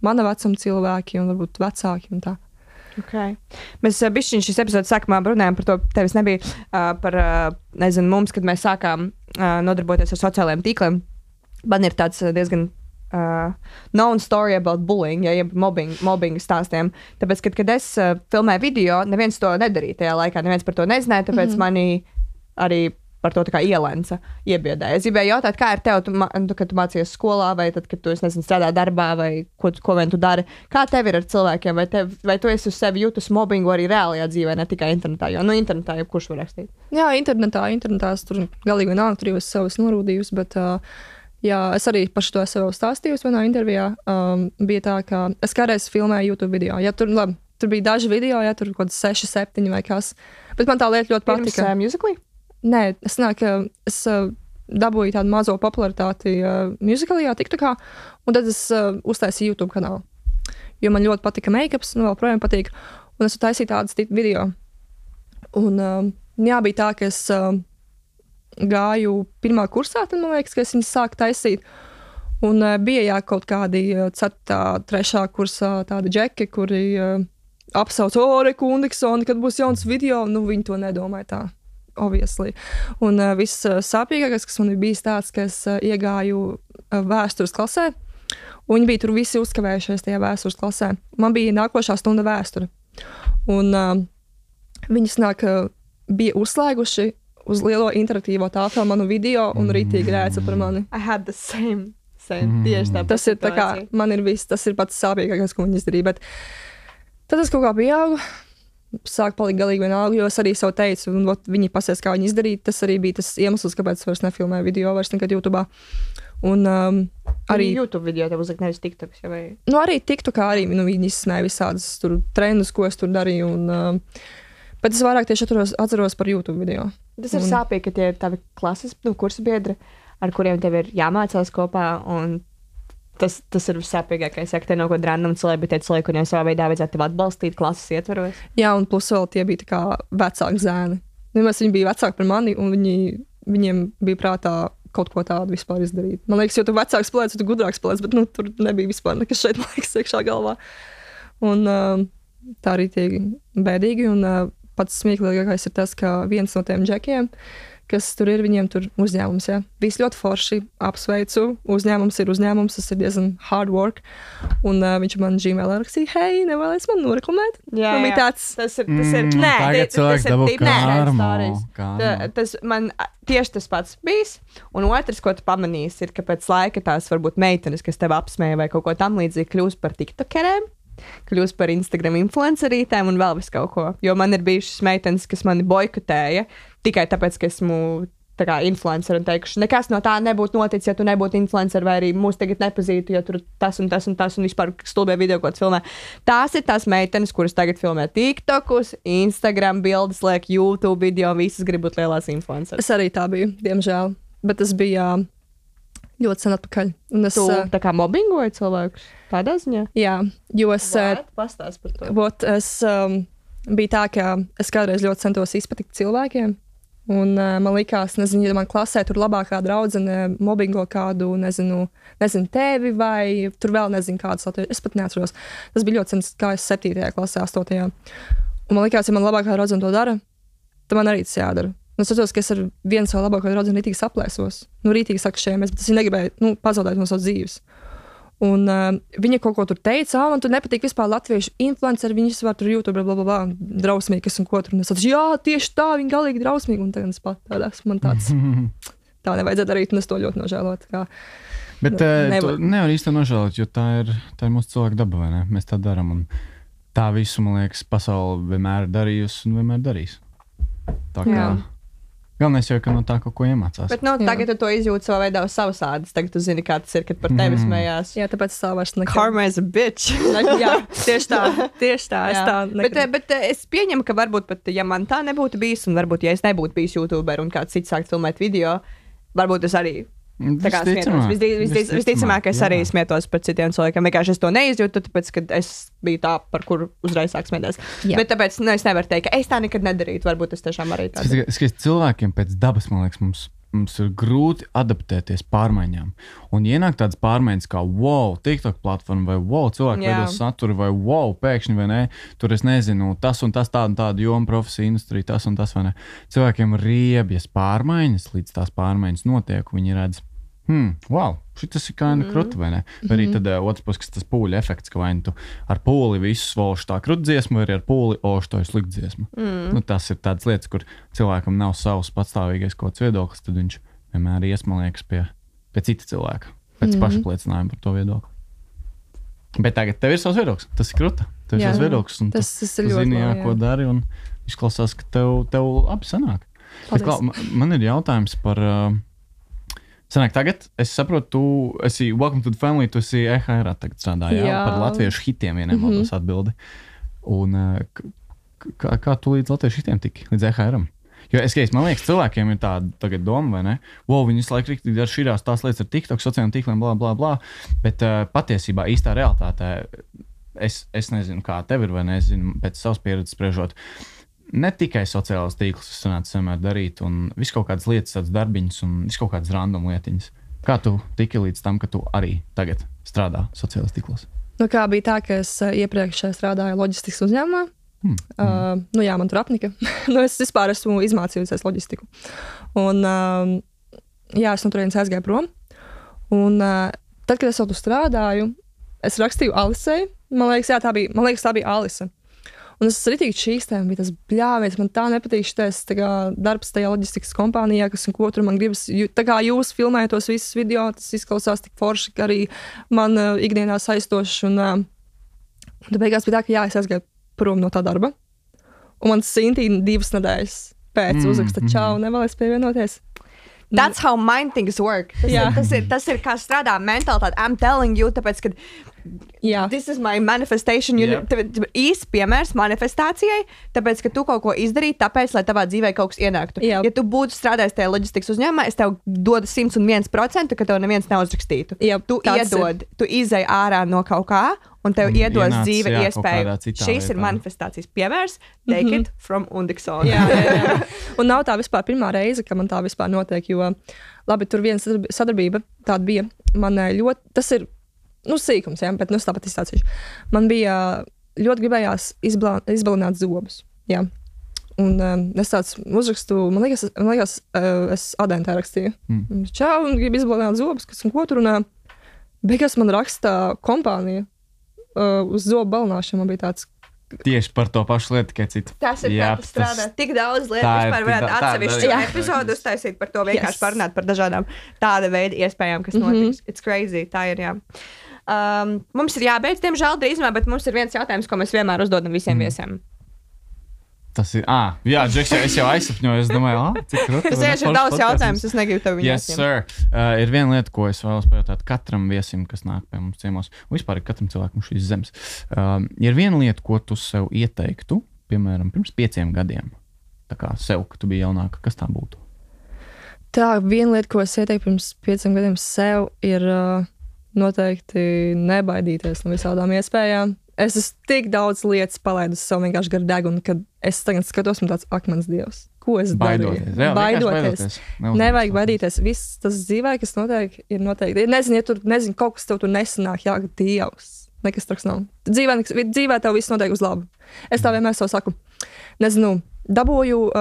mana vecuma cilvēki un varbūt vecāki un tā. Okay. Mēs bišķiņ šīs epizodes sākumā runājām par to, tevis nebija par, nezinu, mums, kad mēs sākām nodarboties ar sociālajiem tīkliem. Man ir tāds diezgan known story about bullying, ja jeb mobbing stāstiem. Tāpēc, kad es filmēju video, neviens to nedarīja tajā laikā, neviens par to nezināja, tāpēc mani arī par to tā kā ielenca, iebiedēja. Es gribēju jautāt, kā ir tev, kad tu mācījies skolā, vai tad, kad tu, nezinu, strādā darbā, vai ko vien tu dari. Kā tev ir ar cilvēkiem, vai tu esi uz sevi jūtas mobbingu arī reālajā dzīvē, ne tikai internetā, jo, internetā jau kurš var rakstīt? Jā, internetā tur galīgi vienalga, tur jau es sev norūdījusi, bet, jā, es arī par šo sev stāstījusi vienā intervijā. Bija tā, ka es kādreiz filmēju YouTube video. Ja, tur bija daži video, ja tur kaut kāds 6, 7 vai kas. Bet man tā lieta ļoti patika. Musically? Nē, es dabūju tādu mazo popularitāti musicalajā, TikTokā, un tad es uztaisīju YouTube kanālu. Jo man ļoti patika make-ups, un vēl projām patīk, un es taisīju tādas video. Un jā, bija tā, ka es gāju pirmā kursā, tad man liekas, ka es viņas sāku taisīt. Un bija jā, kaut kādi 4., 3. kursā tādi džeki, kuri apsauc, Rekundiksoni, kad būs jauns video, viņi to nedomāja tā. Obviously. Un viss sāpīgākais, kas man bija tāds, ka es iegāju vēstures klasē, un viņi bija tur visi uzkavējušies tajā vēstures klasē. Man bija nākošā stunda vēsture. Un viņi bija uzslēguši uz lielo interaktīvo tāfeli manu video un rītīgi rēca par mani. I had the same tieši tā. Tas ir tā kā, man ir viss, tas ir pats sāpīgākais, ko viņi izdarīja, bet tad es kaut kā pieaugu. Sāk palikt galīgi vienalga, jo es arī sev teicu, un viņi pasies, kā viņi izdarīja. Tas arī bija tas iemesls, kāpēc es vairs nefilmēju video, vairs nekad YouTube. Un arī YouTube video tev uzlikt nevis TikToks, ja vai? Arī TikTokā arī, viņi izsmēja visādas tur trendus, ko es tur darīju, un bet es vairāk tieši atceros par YouTube video. Tas ir sāpīgi, ka tie ir tavi klases, kursa biedri, ar kuriem tev ir jāmācās kopā, un tas ir vissāpīgākais, ja te nav kaut kāda random cilvēki, bet tie cilvēki, kuriem savā veidā vajadzētu tevi atbalstīt klases ietvaros. Jā, un plus vēl tie bija tā kā vecāki zēni. Nemaz viņi bija vecāki par mani, un viņiem bija prātā kaut ko tādu vispār izdarīt. Man liekas, jo tu vecāks spēlēts, tu gudrāks spēlēts, bet tur nebija vispār nekas šeit, man liekas, iekšā galvā. Un tā arī tie bēdīgi, un pats smieklīgākais ir tas, ka viens no tiem džekiem, kas tur ir, viņiem tur uzņēmums, ja. Viss ļoti forši, apsveicu, uzņēmums, tas ir diezgan hard work, un viņš man Gmail rakstīja, hei, nevēlies man noreklamēt? Jā, tāds... tas ir, tas man tieši tas pats bijis, un otrs, ko tu pamanīsi, ir, ka pēc laika tās varbūt meitenes, kas tev apsmēja vai kaut ko tam līdzīgi, kļūst par tiktokerēm, kļūst par Instagram influencerītēm un vēl visu kaut ko. Jo man ir bijušas meitenes, kas mani boikotēja tikai tāpēc, ka esmu tā kā influencer un teikuši, nekas no tā nebūtu noticis, ja tu nebūtu influencer vai arī mūs tagad nepazītu, jo tur tas un vispār stulbē video, ko tu filmē. Tās ir tās meitenes, kuras tagad filmē TikTokus, Instagram bildes, liek YouTube video un visas grib būt lielās influenceres. Es arī tā biju, diemžēl, bet tas bija ļoti sen atpakaļ. Un tu tā kā mobbingoji cilvēkus tādā ziņā? Jā, jo es... Pastāst par to. Es bija tā, ka es kādreiz ļoti centos izpatikt cilvēkiem, un man likās, nezinu, ja man klasē tur labākā draudzene mobbingo kādu, nezinu tevi vai tur vēl nezinu kādas, es pat neatceros. Tas bija ļoti sen, kā es 7. klasē, 8. Un man likās, ja man labākā draudzene to dara, tad man arī tas jādara. Un es saprotu, ka es ar vienu savu labāko draudzeni rītīgi saplēsos. Rītīgi sakšējamies, bet es viņu negribēju pazaudēt no savas dzīves. Un viņa kaut ko tur teica, man tur nepatīk vispār latviešu influenceri, viņas var tur YouTube, blablabla, drausmīgi, kas un ko tur. Un es saprotu, jā, tieši tā, viņi galīgi drausmīgi. Un tagad es pat tādās, man tāds, tā nevajadzētu darīt, un es to ļoti nožēlotu. Bet to nevar īsti nožēlot, jo tā ir mūsu cilvēka daba, vai ne? Mēs tā darām, un tā visu, man liekas, pasauli vienmēr darījusi un vienmēr darīs. Tā kā... Galvenais jau, ka no tā kaut ko iemācās. Bet tagad tu to izjūti savā veidā uz savas ādas. Tagad tu zini, kā tas ir, kad par tevi smējās. Jā, tāpēc es tā vairs nekad. Karma is a bitch. Jā, tieši tā. Es tā nekad. Bet es pieņemu, ka varbūt pat, ja man tā nebūtu bijis, un varbūt, ja es nebūtu bijis YouTuber un kāds cits sākt filmēt video, varbūt es arī tā kā smietos. Visticamāk, es arī smietos par citiem cilvēkiem. Vienkārši es to neizjūtu, tāpēc, ka es biju tā, par kuru uzreiz sāk smieties. Bet tāpēc es nevaru teikt, ka es tā nekad nedarītu. Varbūt es tiešām arī tādu. Cilvēkiem pēc dabas, man liekas, mums mums ir grūti adaptēties pārmaiņām. Un ienāk tādas pārmaiņas kā wow, TikTok platforma vai wow, cilvēki veido saturu vai wow, pēkšņi vai ne, tur es nezinu, tas un tas tāda joma, profesija, industrija, tas un tas vai ne. Cilvēkiem riebjas pārmaiņas, līdz tās pārmaiņas notiek, viņi redz, wow, šitas ir kinda kruta, vai ne? Vai arī tad otrs puses, tas pūļa efekts, ka vai tu ar pūli visu svolšu tā krut dziesmu, vai arī ar pūli to ir slikt dziesmu. Nu, tas ir tādas lietas, kur cilvēkam nav savs patstāvīgais kaut kāds viedoklis, tad viņš vienmēr ies, man liekas, pie cita cilvēka, pēc pašapliecinājuma par to viedokli. Bet tagad tev ir savs viedoklis, tas ir kruta, tev ir savs viedoklis, un tas tu zini, ko dari, un izklausās, ka tev labi sanāk. Bet, man ir jautājums par... Sanāk, tagad es saprotu, tu esi Welcome to the Family, tu esi EHR tagad strādāji, par latviešu hitiem, ja nemaldos atbildi. Un kā tu līdz latviešu hitiem tiki, līdz EHR-am? Jo man liekas, cilvēkiem ir tāda tagad doma, vai ne? Wow, viņi visu laiku riktīgi dar šīs tās lietas ar TikTok, sociālajiem tīkliem, blā, blā, blā. Bet patiesībā īstā realitātē, es nezinu, kā tev ir, vai nezinu, pēc savas pieredzes spriežot, ne tikai sociālās tīklus es sanācu vienmēr darīt, un visu kaut kādas lietas, tādas darbiņas, un visu kaut kādas random lietiņas. Kā tu tiki līdz tam, ka tu arī tagad strādā sociālās tīklos? Nu, kā bija tā, ka es iepriekš strādāju loģistikas uzņēmumā. Man tur apnika. Es vispār esmu izmācījusies loģistiku. Un, es no turienes aizgāju prom. Un tad, kad es vēl tur strādāju, es rakstīju Alisei. Man liekas, tā bija Alise. Un es ritīgi šīstēm, bija tas bļāviens, man tā nepatīk šitais darbs tajā loģistikas kompānijā, kas un ko tur man gribas. Tā kā jūs filmējat tos visus video, tas izklausās tik forši, ka arī man ikdienā saistoši. Un tad beigās bija tā, ka es aizgāju prom no tā darba. Un man Sintīna 2 nedēļas pēc uzraksta čau, nevēlies pievienoties. That's how mind things work. Tas ir kā strādā mentalitāte. I'm telling you, tāpēc, ka this is my manifestation. Īsts piemērs manifestācijai, tāpēc, ka tu kaut ko izdarīji, tāpēc, lai tavā dzīvē kaut kas ienāktu. Ja tu būtu strādājis tajā loģistikas uzņēmumā, es tev dodu 101%, ka tev neviens neuzrakstītu. Tu izej ārā no kaut kā, un tev iedos dzīve iespēju. Šis ir manifestācijas piemērs. Take it from Undiksona. Jā. Un nav tā vispār pirmā reize, ka man tā vispār notiek, jo labi, tur viena sadarbība tāda bija. Man ļoti, tas ir, sīkums, bet tāpat izstācīšu. Man bija ļoti gribējās izbalināt zobus. Jā. Un es tāds uzrakstu, man liekas, es adentē rakstīju. Čau, un gribu izbalināt zobus, kas un ko tur. Un beigās man raksta kompānija uz zobu balināšanu. Man bija tāds. Tieši par to pašu lietu, tikai citu. Tas ir kā tas strādā. Tik daudz lietu vispār varētu atsevišķu epizodu uztaisīt par to, vienkārši parunāt par dažādām tāda veida iespējām, kas notiks. It's crazy, tā ir, jā. Mums ir jābeidz, diemžēl, drīzumā, bet mums ir viens jautājums, ko mēs vienmēr uzdodam visiem viesiem. Tas ir, Džeks, es jau aizsapņoju, es domāju, cik krūti. Tas ir daudz jautājums, es negribu tev viņu Yes, sir. Ir viena lieta, ko es vēlos pajautāt katram viesim, kas nāk pie mums ciemos, un vispār ir katram cilvēkam šīs zemes. Ir viena lieta, ko tu sev ieteiktu, piemēram, pirms 5 gadiem, tā kā sev, ka tu biji jaunāka, kas tā būtu? Tā, viena lieta, ko es ieteiktu pirms 5 gadiem sev, ir noteikti nebaidīties no visādām iespējām. Es esmu tik daudz lietas palaidus sev vienkārši gar degunu, kad es tagad skatos un tāds akmens dievs. Ko es darīju? Baidoties. Nevajag baidīties. Viss tas dzīvē, kas notiek, ir noteikti. Nezinu, ja tur kaut kas tev tur nesanāk, jā, dievs. Nekas traks nav. Dzīvē tev viss notiek uz labu. Es tā vienmēr sev saku. Nezinu, dabūju,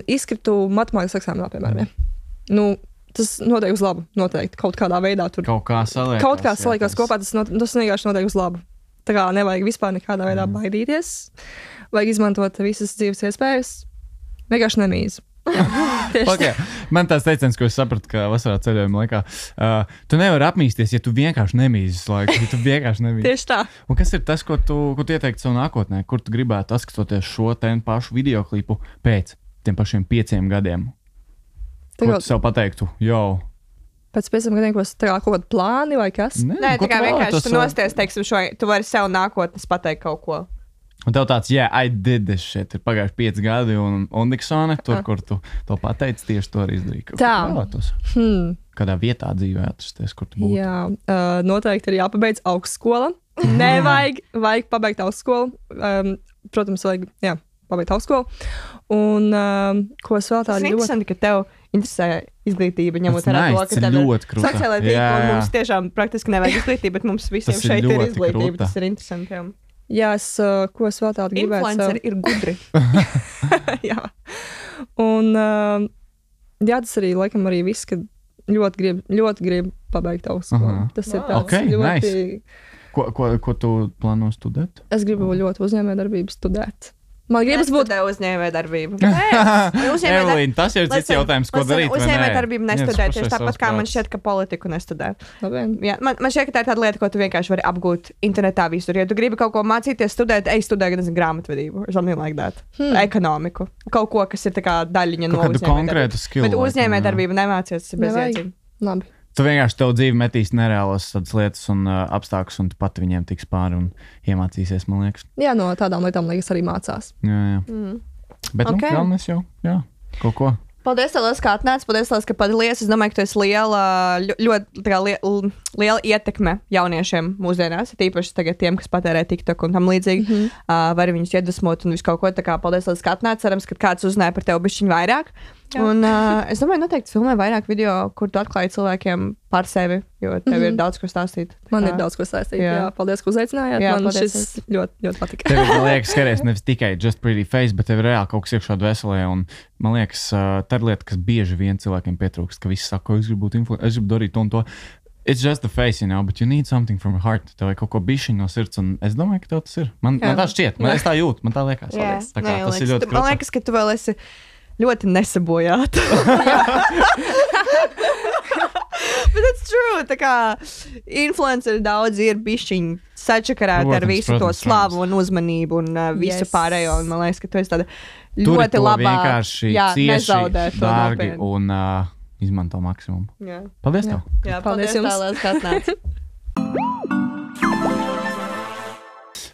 izkritu matemātikas eksāmenā, piemēram. Tas notiek uz labu, noteikti. Kaut kādā veidā tur. Kaut kā saliekās kopā, tas vienkārši notiek uz labu. Tā kā nevajag vispār nekādā veidā baidīties. Vajag izmantot visas dzīves iespējas. Vienkārši nemīz. Okay. Man tās teiciens, ko es sapratu, ka vasarā ceļojuma laikā, tu nevari apmīsties, ja tu vienkārši nemīzes laiku. Ja tu vienkārši nemīzes. Tieši tā. Un kas ir tas, ko tu ieteiktu savu nākotnē? Kur tu gribētu atskatoties šo pašu videoklipu pēc tiem pašiem 5 gadiem? Ko tu sev pateiktu? Pēc 5 gadiem, ko es kaut kādu plāni vai kas? Nē, tā kā vienkārši tu nosties, teiksim, tu vari sev nākotnes pateikt kaut ko. Un tev tāds, I did this shit. Ir pagājuši 5 gadi un Undiksone, tur, kur tu to pateici, tieši to arī izdarīji. Tā. Kādā vietā dzīvē atrasties, kur tu būtu? Jā, noteikti ir jāpabeidz augstskola. Vajag pabeigt augstskolu. Protams, vajag, pabeigt augstskolu. Un ko es vēl Tas tādu ir interesanti, ka tev interesē izglītība, ņemot vērā to, ka tev ir sociālai tīkli, un mums tiešām praktiski nevajag izglītība, bet mums visiem Tas ir šeit ir ļoti izglītība. krūta. Tas ir interesanti. Jā. Jā, ko es vēl tādu gribētu. Influenceri ir gudri. Jā. Un jā, tas arī, laikam, arī viss, ka ļoti grib pabeigt augstskolu. Tas ir tāds ļoti... Ko tu plāno studēt? Es gribu ļoti uzņēmējdarbību studēt. Man gribas būt uzņēmējdarbība. Evelīna, tas ir cits jautājums, ko darīt. Uzņēmējdarbību nestudē tieši tāpat, kā man šķiet, ka politiku nestudē. Jā, man šķiet, ka tā ir tāda lieta, ko tu vienkārši vari apgūt internetā visur. Ja tu gribi kaut ko mācīties, studēt, studē gan grāmatvedību, something like that. Ekonomiku. Kaut ko, kas ir tā kā daļiņa no uzņēmējdarbības. Bet uzņēmējdarbību nemācies, tas ir bezjēdzīgi. Labi. Tu vienkārši tev dzīvi metīs nereālas lietas un apstākļus, un tu pati viņiem tiks pāri un iemācīsies, man liekas. Jā, no tādām lietām liekas arī mācās. Jā. Bet, galvenais jau, kaut ko. Paldies, Lielas, ka atnāci. Paldies, Lielas, ka padalījies. Es domāju, ka tu esi liela ietekme jauniešiem mūsdienās. Tīpaši tagad tiem, kas patērē TikTok un tam līdzīgi. Vari viņus iedvesmot un visu kaut ko. Tā kā paldies, Lielas, ka atnāci. Cerams, ka kāds uzzināja par tevi bišķiņu vairāk. Jā. Un es domāju, noteikti filmē vairāk video, kur tu atklāji cilvēkiem par sevi, jo tev ir daudz ko stāstīt. Man ir daudz ko stāstīt. Jā, paldies, ka uzaicinājāt. Man paldies. Šis ļoti patika. Tev, man liekas, skaties nevis tikai just pretty face, bet tev ir reāli kaut kas iekšā dvēselē. Un man liekas, tā ir lieta, kas bieži vien cilvēkiem pietrūkst, ka visi saka, es gribu būt influencer, es gribu darīt to un to. It's just the face, but you need something from your heart. Tev ir kaut ko bišķiņ no sirds, un es domāju, ka tev tas ir. Man tā šķiet, es tā jūtu, man tā liekas. Tā kā, tas ir ļoti krūti. Man liekas, ka tu vēl esi ļoti nesabojāta. Bet that's true. Tā kā influenceri daudz ir bišķiņi sačakarēti ar visu to slavu un uzmanību un visu pārējo. Un man liekas, ka tu esi tāda ļoti labā. Vienkārši cieši, dārgi un izmanto maksimumu. Jā. Paldies tev. Jā, paldies jums. Lielas, ka atnāci.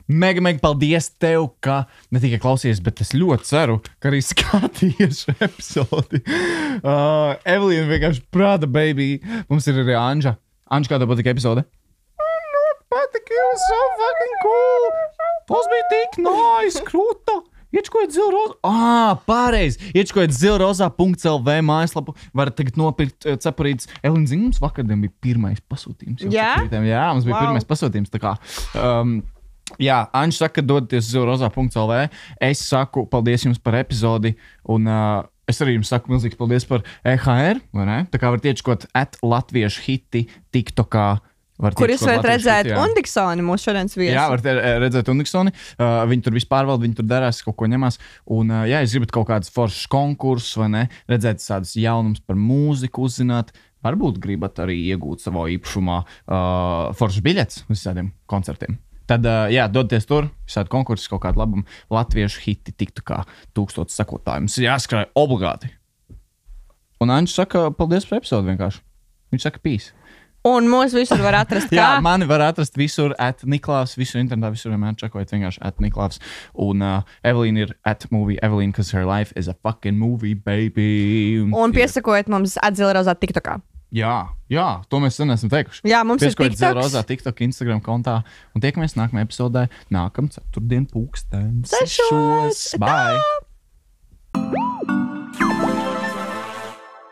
Mega paldies tev, ka ne tikai klausies, bet es ļoti ceru, ka arī skatījies šo epizodi. Evelīna vienkārši prāta, baby. Mums ir arī Anža. Anža, kā tev patika epizode? Man ļoti patika, it was so fucking cool. Tas bija tik nice, krūta. Iečkojiet zilrozā. Pareizi. Iečkojiet zilrozā.lv mājaslapu. Varat tagad nopirkt cepurītes. Evelīna, zini, mums vakardien bija pirmais pasūtījums. Jā? Jā, mums bija pirmais pasūtījums. Tā kā... Jā, Anģis saka, dodaties uz zilrozā.lv. Es saku paldies jums par epizodi, un es arī jums saku milzīgs paldies par EHR, vai ne? Tā kā varat iečkot @latviešu hiti TikTokā. Kur jūs varat redzēt Undiksoni, mūsu šodienas viesu. Jā, varat redzēt Undiksoni. Viņi tur vispār pārvalda, viņi tur darās, kaut ko ņemās. Un, ja jūs gribat kaut kādus foršus konkursus, vai ne, redzēt tādus jaunumus par mūziku, uzzināt, varbūt gribat arī iegūt savā īpašumā foršus biļetes uz visādiem koncertiem. Tad, dodaties tur, visādi konkursi, kaut kādu labumu. Latviešu hiti tiktu kā 1000 sekotāji. Mums ir jāskrāj obligāti. Un Anģis saka, paldies par episodu vienkārši. Viņš saka, peace. Un mūs visur var atrast kā? Jā, mani var atrast visur @Niklaus, visur internetā, visur vienmēr čakojiet vienkārši @Niklaus. Un Evelīna ir @movie Evelīna, because her life is a fucking movie, baby. Un piesakojiet mums @zilrozā TikTokā. Jā, to mēs sen esam teikuši. Jā, mums ir TikToks. Zilrozā TikToks. TikTok, Instagram kontā. Un tiekamies nākamajā epizodē, nākamā ceturtdien 6:00. Bye!